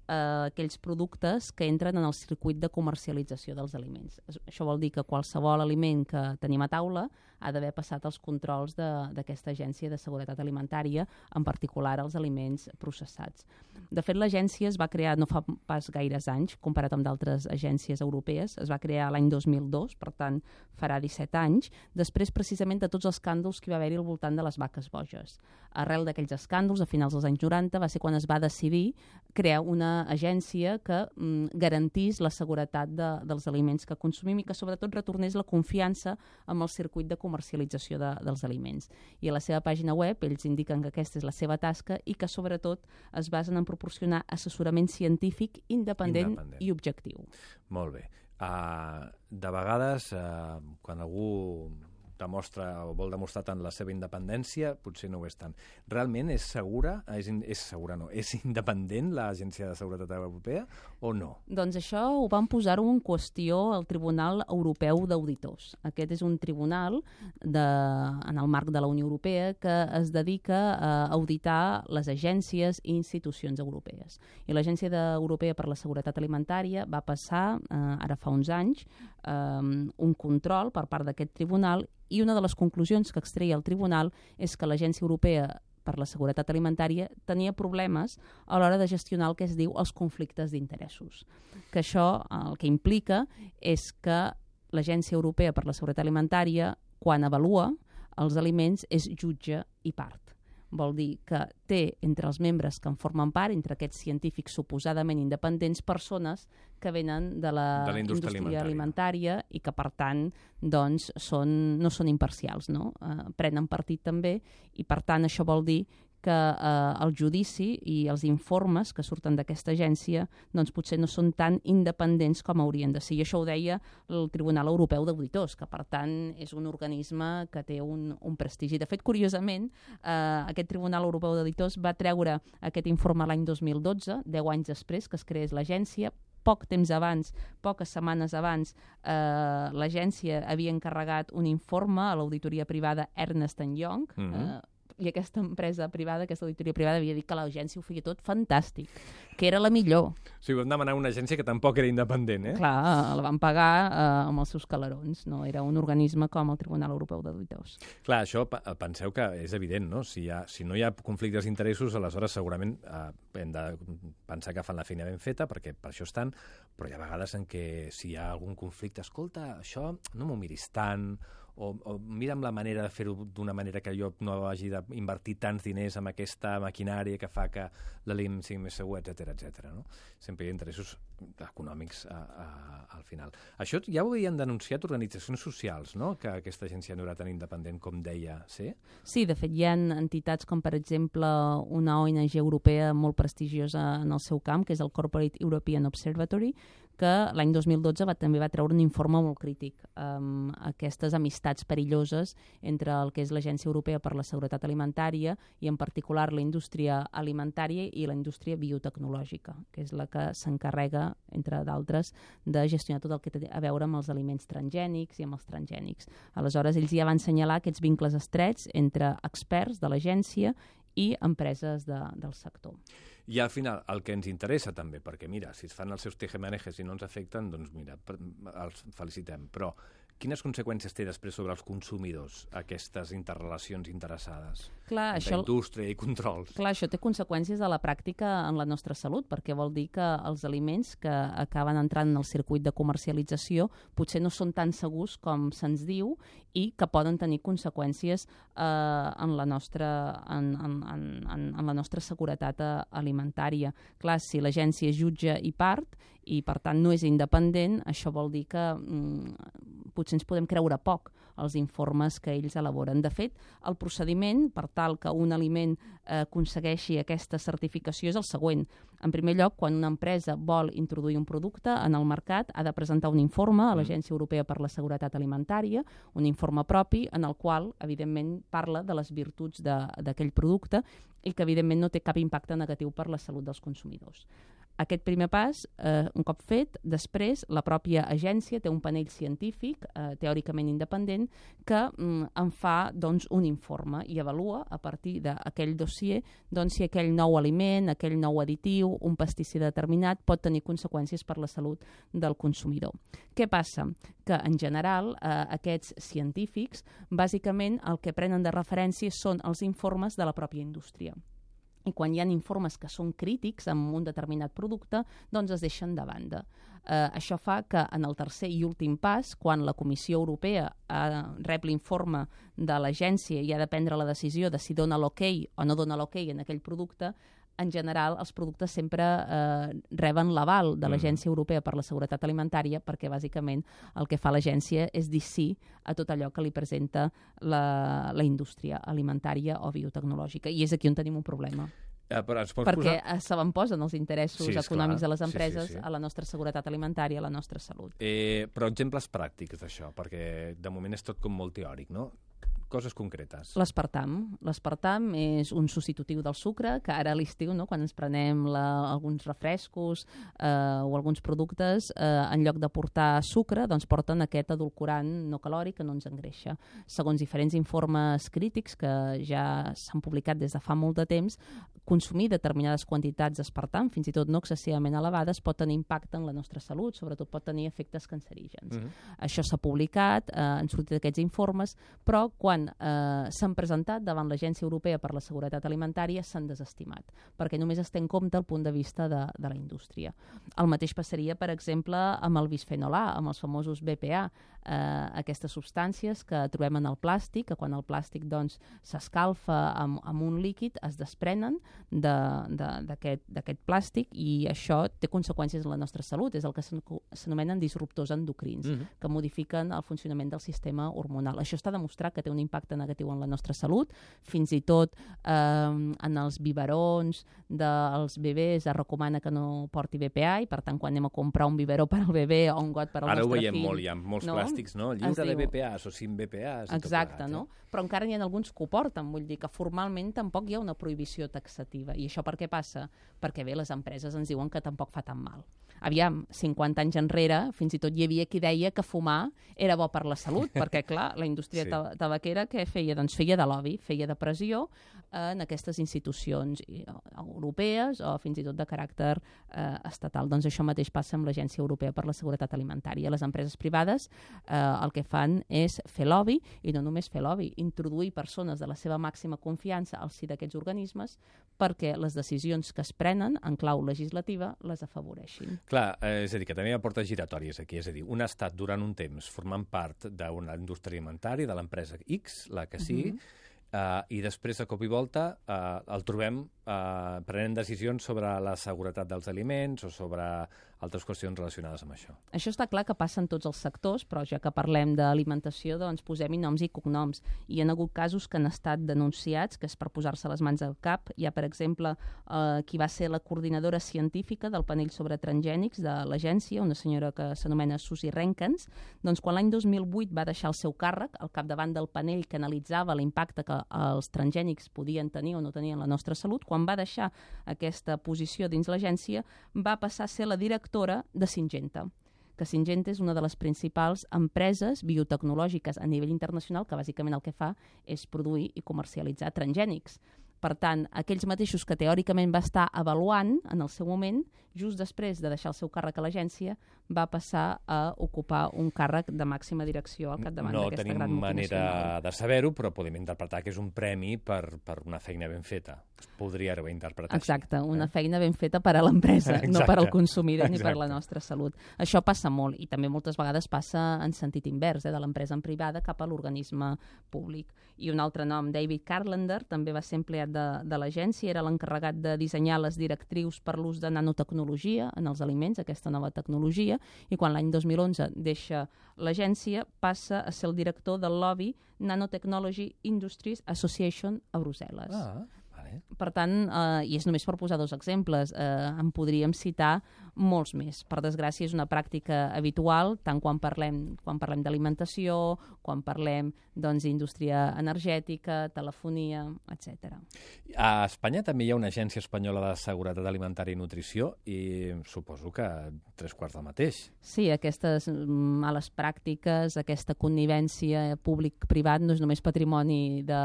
eh, aquells productes que entren en el circuit de comercialització dels aliments. Això vol dir que qualsevol aliment que tenim a taula ha d'haver passat els controls d'aquesta agència de seguretat alimentària, en particular els aliments processats. De fet, l'agència es va crear no fa pas gaires anys, comparat amb d'altres agències europees. Es va crear l'any dos mil dos, per tant, farà disset anys, després precisament de tots els escàndols que hi va haver-hi al voltant de les vaques boges. Arrel d'aquells escàndols, a finals dels anys noranta, va ser quan es va decidir crear una agència que mm, garantís la seguretat de, dels aliments que consumim i que sobretot retornés la confiança amb el circuit de comercialització de, dels aliments. I a la seva pàgina web ells indiquen que aquesta és la seva tasca i que sobretot es basen en proporcionar assessorament científic independent, independent. i objectiu. Molt bé. Uh, de vegades, uh, quan algú demostra o vol demostrar tant la seva independència, potser no ho és tant. Realment és segura, és, in, és segura no, és independent l'Agència de Seguretat Europea o no? Doncs això ho van posar-ho en qüestió al Tribunal Europeu d'Auditors. Aquest és un tribunal de, en el marc de la Unió Europea que es dedica a auditar les agències i institucions europees. I l'Agència Europea per la Seguretat Alimentària va passar, eh, ara fa uns anys, eh, un control per part d'aquest tribunal i una de les conclusions que extreia el tribunal és que l'Agència Europea per la Seguretat Alimentària tenia problemes a l'hora de gestionar el que es diu els conflictes d'interessos. Que això el que implica és que l'Agència Europea per la Seguretat Alimentària, quan avalua els aliments, és jutge i part. Vol dir que té entre els membres que en formen part, entre aquests científics suposadament independents, persones que venen de la, de la indústria, indústria alimentària. alimentària i que, per tant, doncs, són, no són imparcials, no? Eh, prenen partit també i, per tant, això vol dir que eh, el judici i els informes que surten d'aquesta agència doncs potser no són tan independents com haurien de ser. I això ho deia el Tribunal Europeu d'Auditors, que per tant és un organisme que té un, un prestigi. De fet, curiosament, eh, aquest Tribunal Europeu d'Auditors va treure aquest informe l'any dos mil dotze, deu anys després que es creés l'agència. Poc temps abans, poques setmanes abans, eh, l'agència havia encarregat un informe a l'auditoria privada Ernst and Young, mm-hmm. eh, i aquesta empresa privada, aquesta auditoria privada, havia dit que l'agència ho feia tot fantàstic, que era la millor. O sigui, vam demanar una agència que tampoc era independent, eh? Clar, la van pagar eh, amb els seus calarons, no era un organisme com el Tribunal Europeu d'Auditors. Clar, això penseu que és evident, no? Si, hi ha, si no hi ha conflictes d'interessos, aleshores segurament eh, hem de pensar que fan la feina ben feta, perquè per això estan, però hi ha vegades en què si hi ha algun conflicte, escolta, això no m'ho miris tant, o, o mira'm la manera de fer-ho d'una manera que jo no hagi d'invertir tants diners en aquesta maquinària que fa que l'E M sigui més segur, etcètera, etcètera. No? Sempre hi ha interessos econòmics a, a, al final. Això ja ho havien denunciat organitzacions socials, no?, que aquesta agència no era tan independent com deia ser? Sí, de fet hi ha entitats com, per exemple, una O N G europea molt prestigiosa en el seu camp, que és el Corporate European Observatory, que l'any dos mil dotze va, també va treure un informe molt crític amb aquestes amistats perilloses entre el que és l'Agència Europea per la Seguretat Alimentària i en particular la indústria alimentària i la indústria biotecnològica, que és la que s'encarrega, entre d'altres, de gestionar tot el que té a veure amb els aliments transgènics i amb els transgènics. Aleshores, ells ja van assenyalar aquests vincles estrets entre experts de l'agència i empreses de, del sector. I al final, el que ens interessa també, perquè mira, si es fan els seus tejemanejes i no ens afecten, doncs mira, els felicitem. Però quines conseqüències té després sobre els consumidors aquestes interrelacions interessades? Clar, entre això, indústria i controls. Clar, això té conseqüències a la pràctica en la nostra salut, perquè vol dir que els aliments que acaben entrant en el circuit de comercialització potser no són tan segurs com se'ns diu i que poden tenir conseqüències eh, en, la nostra, en, en, en, en la nostra seguretat alimentària. Clar, si l'agència és jutge i part i per tant no és independent, això vol dir que mm, potser ens podem creure poc els informes que ells elaboren. De fet, el procediment per tal que un aliment eh, aconsegueixi aquesta certificació és el següent. En primer lloc, quan una empresa vol introduir un producte en el mercat, ha de presentar un informe a l'Agència Europea per la Seguretat Alimentària, un informe propi en el qual, evidentment, parla de les virtuts d'aquell producte i que, evidentment, no té cap impacte negatiu per la salut dels consumidors. Aquest primer pas, eh, un cop fet, després la pròpia agència té un panell científic, eh, teòricament independent, que mm, en fa doncs, un informe i avalua a partir d'aquell dossier doncs, si aquell nou aliment, aquell nou additiu, un pesticida determinat pot tenir conseqüències per la salut del consumidor. Què passa? Que en general eh, aquests científics bàsicament el que prenen de referència són els informes de la pròpia indústria. I quan hi ha informes que són crítics amb un determinat producte, doncs es deixen de banda. Eh, això fa que en el tercer i últim pas, quan la Comissió Europea eh, rep l'informe de l'agència i ha de prendre la decisió de si dona l'ok o no dona l'ok en aquell producte, en general, els productes sempre eh, reben l'aval de l'Agència Europea per la Seguretat Alimentària perquè, bàsicament, el que fa l'agència és dir sí a tot allò que li presenta la, la indústria alimentària o biotecnològica. I és aquí on tenim un problema. Eh, però ens pots perquè posar... s'avantposen els interessos sí, econòmics clar. de les empreses sí, sí, sí. a la nostra seguretat alimentària, a la nostra salut. Eh, però exemples pràctics d'això, perquè de moment és tot com molt teòric, no? Coses concretes. L'aspartam. L'aspartam és un substitutiu del sucre, que ara a l'estiu, no, quan ens prenem la, alguns refrescos eh, o alguns productes, eh, en lloc de portar sucre, doncs porten aquest edulcorant no calòric que no ens engreixa. Segons diferents informes crítics que ja s'han publicat des de fa molt de temps, consumir determinades quantitats d'aspartam, fins i tot no excessivament elevades, pot tenir impacte en la nostra salut, sobretot pot tenir efectes cancerígens. Mm-hmm. Això s'ha publicat, eh, han sortit aquests informes, però quan eh, s'han presentat davant l'Agència Europea per la Seguretat Alimentària s'han desestimat, perquè només es té en compte el punt de vista de, de la indústria. El mateix passaria, per exemple, amb el bisfenol A, amb els famosos B P A, eh, aquestes substàncies que trobem en el plàstic, que quan el plàstic doncs, s'escalfa amb, amb un líquid es desprenen d'aquest plàstic i això té conseqüències en la nostra salut. És el que s'anomenen disruptors endocrins, mm-hmm. que modifiquen el funcionament del sistema hormonal. Això està demostrat que té un impacte negatiu en la nostra salut, fins i tot eh, en els biberons dels bebès es recomana que no porti B P A i per tant quan anem a comprar un biberó per al bebè o un got per al Ara nostre fill... Ara ho veiem fill, molt, hi ha molts no? plàstics, no? Lliure diu... de B P As o sin B P As. Exacte, plegat, no? Eh? Però encara n'hi ha alguns que ho porten, vull dir que formalment tampoc hi ha una prohibició taxativa. I això per què passa? Perquè bé, les empreses ens diuen que tampoc fa tan mal. Aviam, cinquanta anys enrere, fins i tot hi havia qui deia que fumar era bo per la salut, perquè clar, la indústria sí. tabaquera tercera, què feia? Doncs feia de lobby, feia de pressió en aquestes institucions europees o fins i tot de caràcter eh, estatal. Doncs això mateix passa amb l'Agència Europea per la Seguretat Alimentària. Les empreses privades eh, el que fan és fer lobby, i no només fer lobby, introduir persones de la seva màxima confiança al si d'aquests organismes perquè les decisions que es prenen en clau legislativa les afavoreixin. Clar, eh, és a dir, que també hi ha portes giratòries aquí, és a dir, un estat durant un temps formant part d'una indústria alimentària, de l'empresa X, la que sigui, uh-huh. Uh, i després, de cop i volta, uh, el trobem uh, prenent decisions sobre la seguretat dels aliments o sobre altres qüestions relacionades amb això. Això està clar que passa en tots els sectors, però ja que parlem d'alimentació, doncs posem-hi noms i cognoms. Hi ha hagut casos que han estat denunciats, que és per posar-se les mans al cap. Hi ha, per exemple, uh, qui va ser la coordinadora científica del panell sobre transgènics de l'agència, una senyora que s'anomena Susie Renkens. Doncs quan l'any dos mil vuit va deixar el seu càrrec, al capdavant del panell que analitzava l'impacte que els transgènics podien tenir o no tenir en la nostra salut, quan va deixar aquesta posició dins l'agència, va passar a ser la directora de Syngenta, que Syngenta és una de les principals empreses biotecnològiques a nivell internacional que bàsicament el que fa és produir i comercialitzar transgènics. Per tant, aquells mateixos que teòricament va estar avaluant en el seu moment, just després de deixar el seu càrrec a l'agència, va passar a ocupar un càrrec de màxima direcció al capdavant no d'aquesta gran multinacional. No multinacional. tenim manera de saber-ho, però podem interpretar que és un premi per, per una feina ben feta. Es podria haver interpretat Exacte, així, una eh? feina ben feta per a l'empresa, no per al consumidor ni Exacte. per la nostra salut. Això passa molt i també moltes vegades passa en sentit invers, eh, de l'empresa en privada cap a l'organisme públic. I un altre nom, David Carlander, també va ser empleat de, de l'agència, era l'encarregat de dissenyar les directrius per l'ús de nanotecnologia en els aliments, aquesta nova tecnologia, i quan l'any dos mil onze deixa l'agència, passa a ser el director del lobby Nanotechnology Industries Association a Brussel·les. Ah, vale. Per tant, eh, i és només per posar dos exemples, eh, en podríem citar molts més. Per desgràcia, és una pràctica habitual, tant quan parlem quan parlem d'alimentació, quan parlem doncs, d'indústria energètica, telefonia, etcètera. A Espanya també hi ha una agència espanyola de seguretat alimentària i nutrició i suposo que tres quarts del mateix. Sí, aquestes males pràctiques, aquesta connivència públic-privat no és només patrimoni de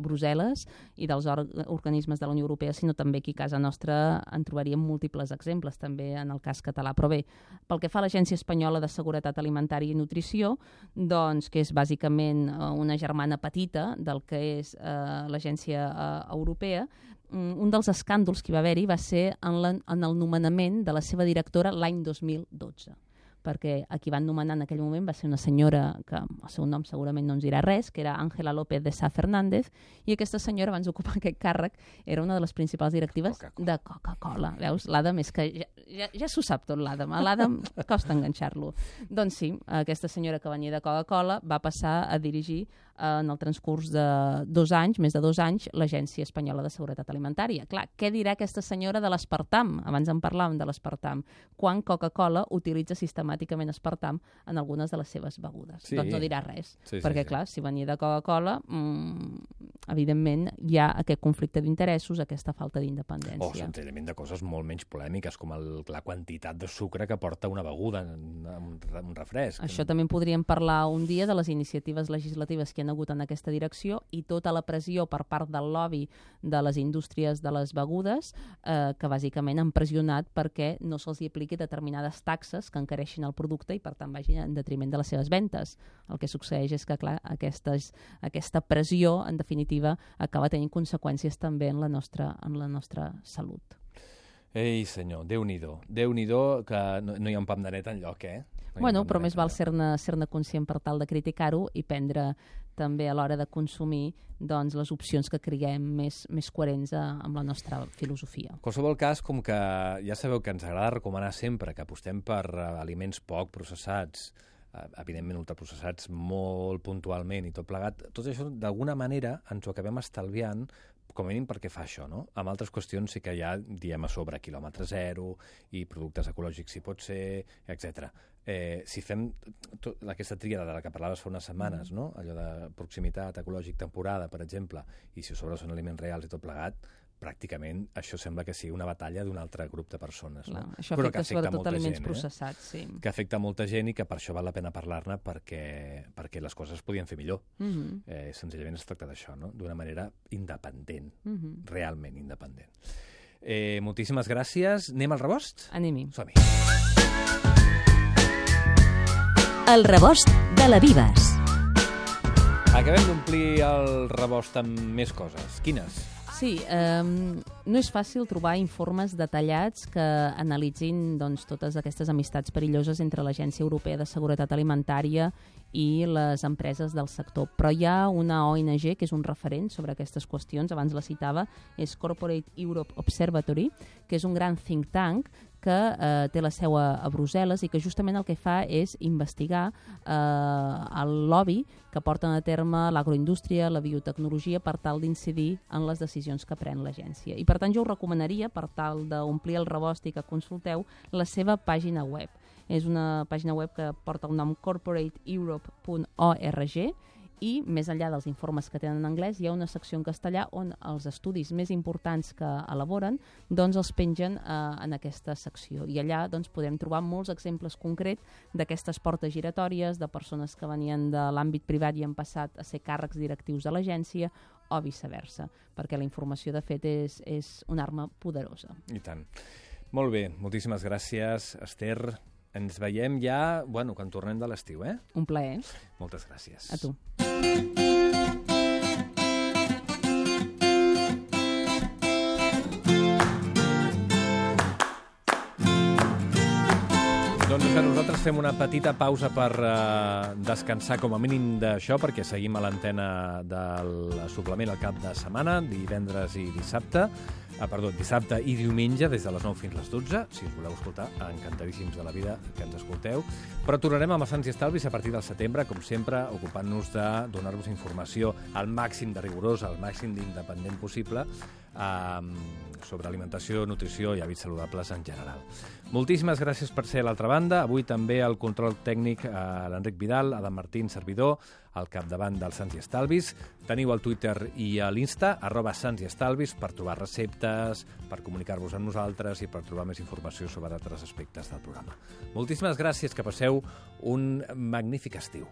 Brussel·les i dels or organismes de la Unió Europea, sinó també aquí a casa nostra en trobaríem múltiples exemples, també en el cas català. Però bé, pel que fa a l'Agència Espanyola de Seguretat Alimentària i Nutrició, doncs, que és bàsicament una germana petita del que és eh, l'Agència eh, Europea, un dels escàndols que hi va haver-hi va ser en, la, en el nomenament de la seva directora l'any dos mil dotze, perquè a qui van nomenar en aquell moment va ser una senyora que el seu nom segurament no ens dirà res, que era Ángela López de Sá Fernández, i aquesta senyora, abans d'ocupar aquest càrrec, era una de les principals directives Coca-Cola. de Coca-Cola. Veus? L'Adam és que ja, ja, ja s'ho sap tot, l'Adam. A l'Adam costa enganxar-lo. Doncs sí, aquesta senyora que venia de Coca-Cola va passar a dirigir en el transcurs de dos anys, més de dos anys, l'Agència Espanyola de Seguretat Alimentària. Clar, què dirà aquesta senyora de l'aspartam? Abans en parlàvem de l'aspartam. Quan Coca-Cola utilitza sistemàticament aspartam en algunes de les seves begudes. Sí. Doncs no dirà res. Sí, sí, perquè, sí. clar, si venia de Coca-Cola, mmm, evidentment hi ha aquest conflicte d'interessos, aquesta falta d'independència. O senzillament de coses molt menys polèmiques, com el, la quantitat de sucre que porta una beguda, un, un refresc. Això també en podríem parlar un dia, de les iniciatives legislatives que hi ha hagut en aquesta direcció i tota la pressió per part del lobby de les indústries de les begudes, eh, que bàsicament han pressionat perquè no se'ls hi apliqui determinades taxes que encareixin el producte i per tant vagin en detriment de les seves ventes. El que succeeix és que, clar, aquestes, aquesta pressió, en definitiva, acaba tenint conseqüències també en la nostra, en la nostra salut. Ei, senyor, Déu-n'hi-do. Déu-n'hi-do, que no, no hi ha un pam de net enlloc, eh? No bueno, però més val ser-ne ser-ne conscient per tal de criticar-ho i prendre també a l'hora de consumir doncs, les opcions que creiem més, més coherents a, amb la nostra filosofia. En qualsevol cas, com que ja sabeu que ens agrada recomanar sempre que apostem per uh, aliments poc processats, uh, evidentment ultraprocessats molt puntualment i tot plegat, tot això d'alguna manera ens ho acabem estalviant, com a mínim perquè fa això, no? Amb altres qüestions sí que ja diem a sobre quilòmetre zero i productes ecològics si pot ser, etcètera. Eh, si fem tot, aquesta tríada de la que parlaves fa unes setmanes, no? Allò de proximitat, ecològic, temporada, per exemple, i si a sobre són aliments reals i tot plegat, pràcticament això sembla que sigui una batalla d'un altre grup de persones. Clar, No? això Però afecta, que afecta sobretot molta aliments gent, processats, sí. que afecta molta gent i que per això val la pena parlar-ne perquè, perquè les coses es podien fer millor. Mhm. Eh, senzillament es tracta d'això, no? D'una manera independent, Mhm. realment independent. Eh, moltíssimes gràcies. Anem al rebost? Anem-hi. Som-hi. El rebost de la Vives. Acabem d'omplir el rebost amb més coses. Quines? Sí, eh, no és fàcil trobar informes detallats que analitzin doncs, totes aquestes amistats perilloses entre l'Agència Europea de Seguretat Alimentària i les empreses del sector. Però hi ha una O N G que és un referent sobre aquestes qüestions, abans la citava, és Corporate Europe Observatory, que és un gran think tank que eh, té la seu a, a Brussel·les i que justament el que fa és investigar eh, el lobby que porten a terme l'agroindústria, la biotecnologia, per tal d'incidir en les decisions que pren l'agència. I per tant jo us recomanaria, per tal d'omplir el rebost i que consulteu, la seva pàgina web. És una pàgina web que porta el nom corporate europe punt org i més enllà dels informes que tenen en anglès hi ha una secció en castellà on els estudis més importants que elaboren doncs els pengen eh, en aquesta secció i allà doncs, podem trobar molts exemples concrets d'aquestes portes giratòries, de persones que venien de l'àmbit privat i han passat a ser càrrecs directius de l'agència o viceversa, perquè la informació de fet és, és una arma poderosa. I tant. Molt bé, moltíssimes gràcies, Esther. Ens veiem ja, bueno, quan tornem de l'estiu, eh? Un plaer. Moltes gràcies. A tu. Doncs que nosaltres fem una petita pausa per uh, descansar com a mínim d'això, perquè seguim a l'antena del suplement al cap de setmana, divendres i dissabte, ah, perdó, dissabte i diumenge, des de les nou fins a les dotze, si us voleu escoltar, encantadíssims de la vida que ens escolteu. Però tornarem amb els Sants i Estalvis a partir del setembre, com sempre, ocupant-nos de donar-vos informació al màxim de rigorós, al màxim d'independent possible, eh, sobre alimentació, nutrició i hàbits saludables en general. Moltíssimes gràcies per ser a l'altra banda. Avui també el control tècnic a l'Enric Vidal, Adam Martín, servidor, al capdavant dels Sants i Estalvis. Teniu al Twitter i a l'Insta, arroba Sants i Estalvis, per trobar receptes, per comunicar-vos amb nosaltres i per trobar més informació sobre altres aspectes del programa. Moltíssimes gràcies, que passeu un magnífic estiu.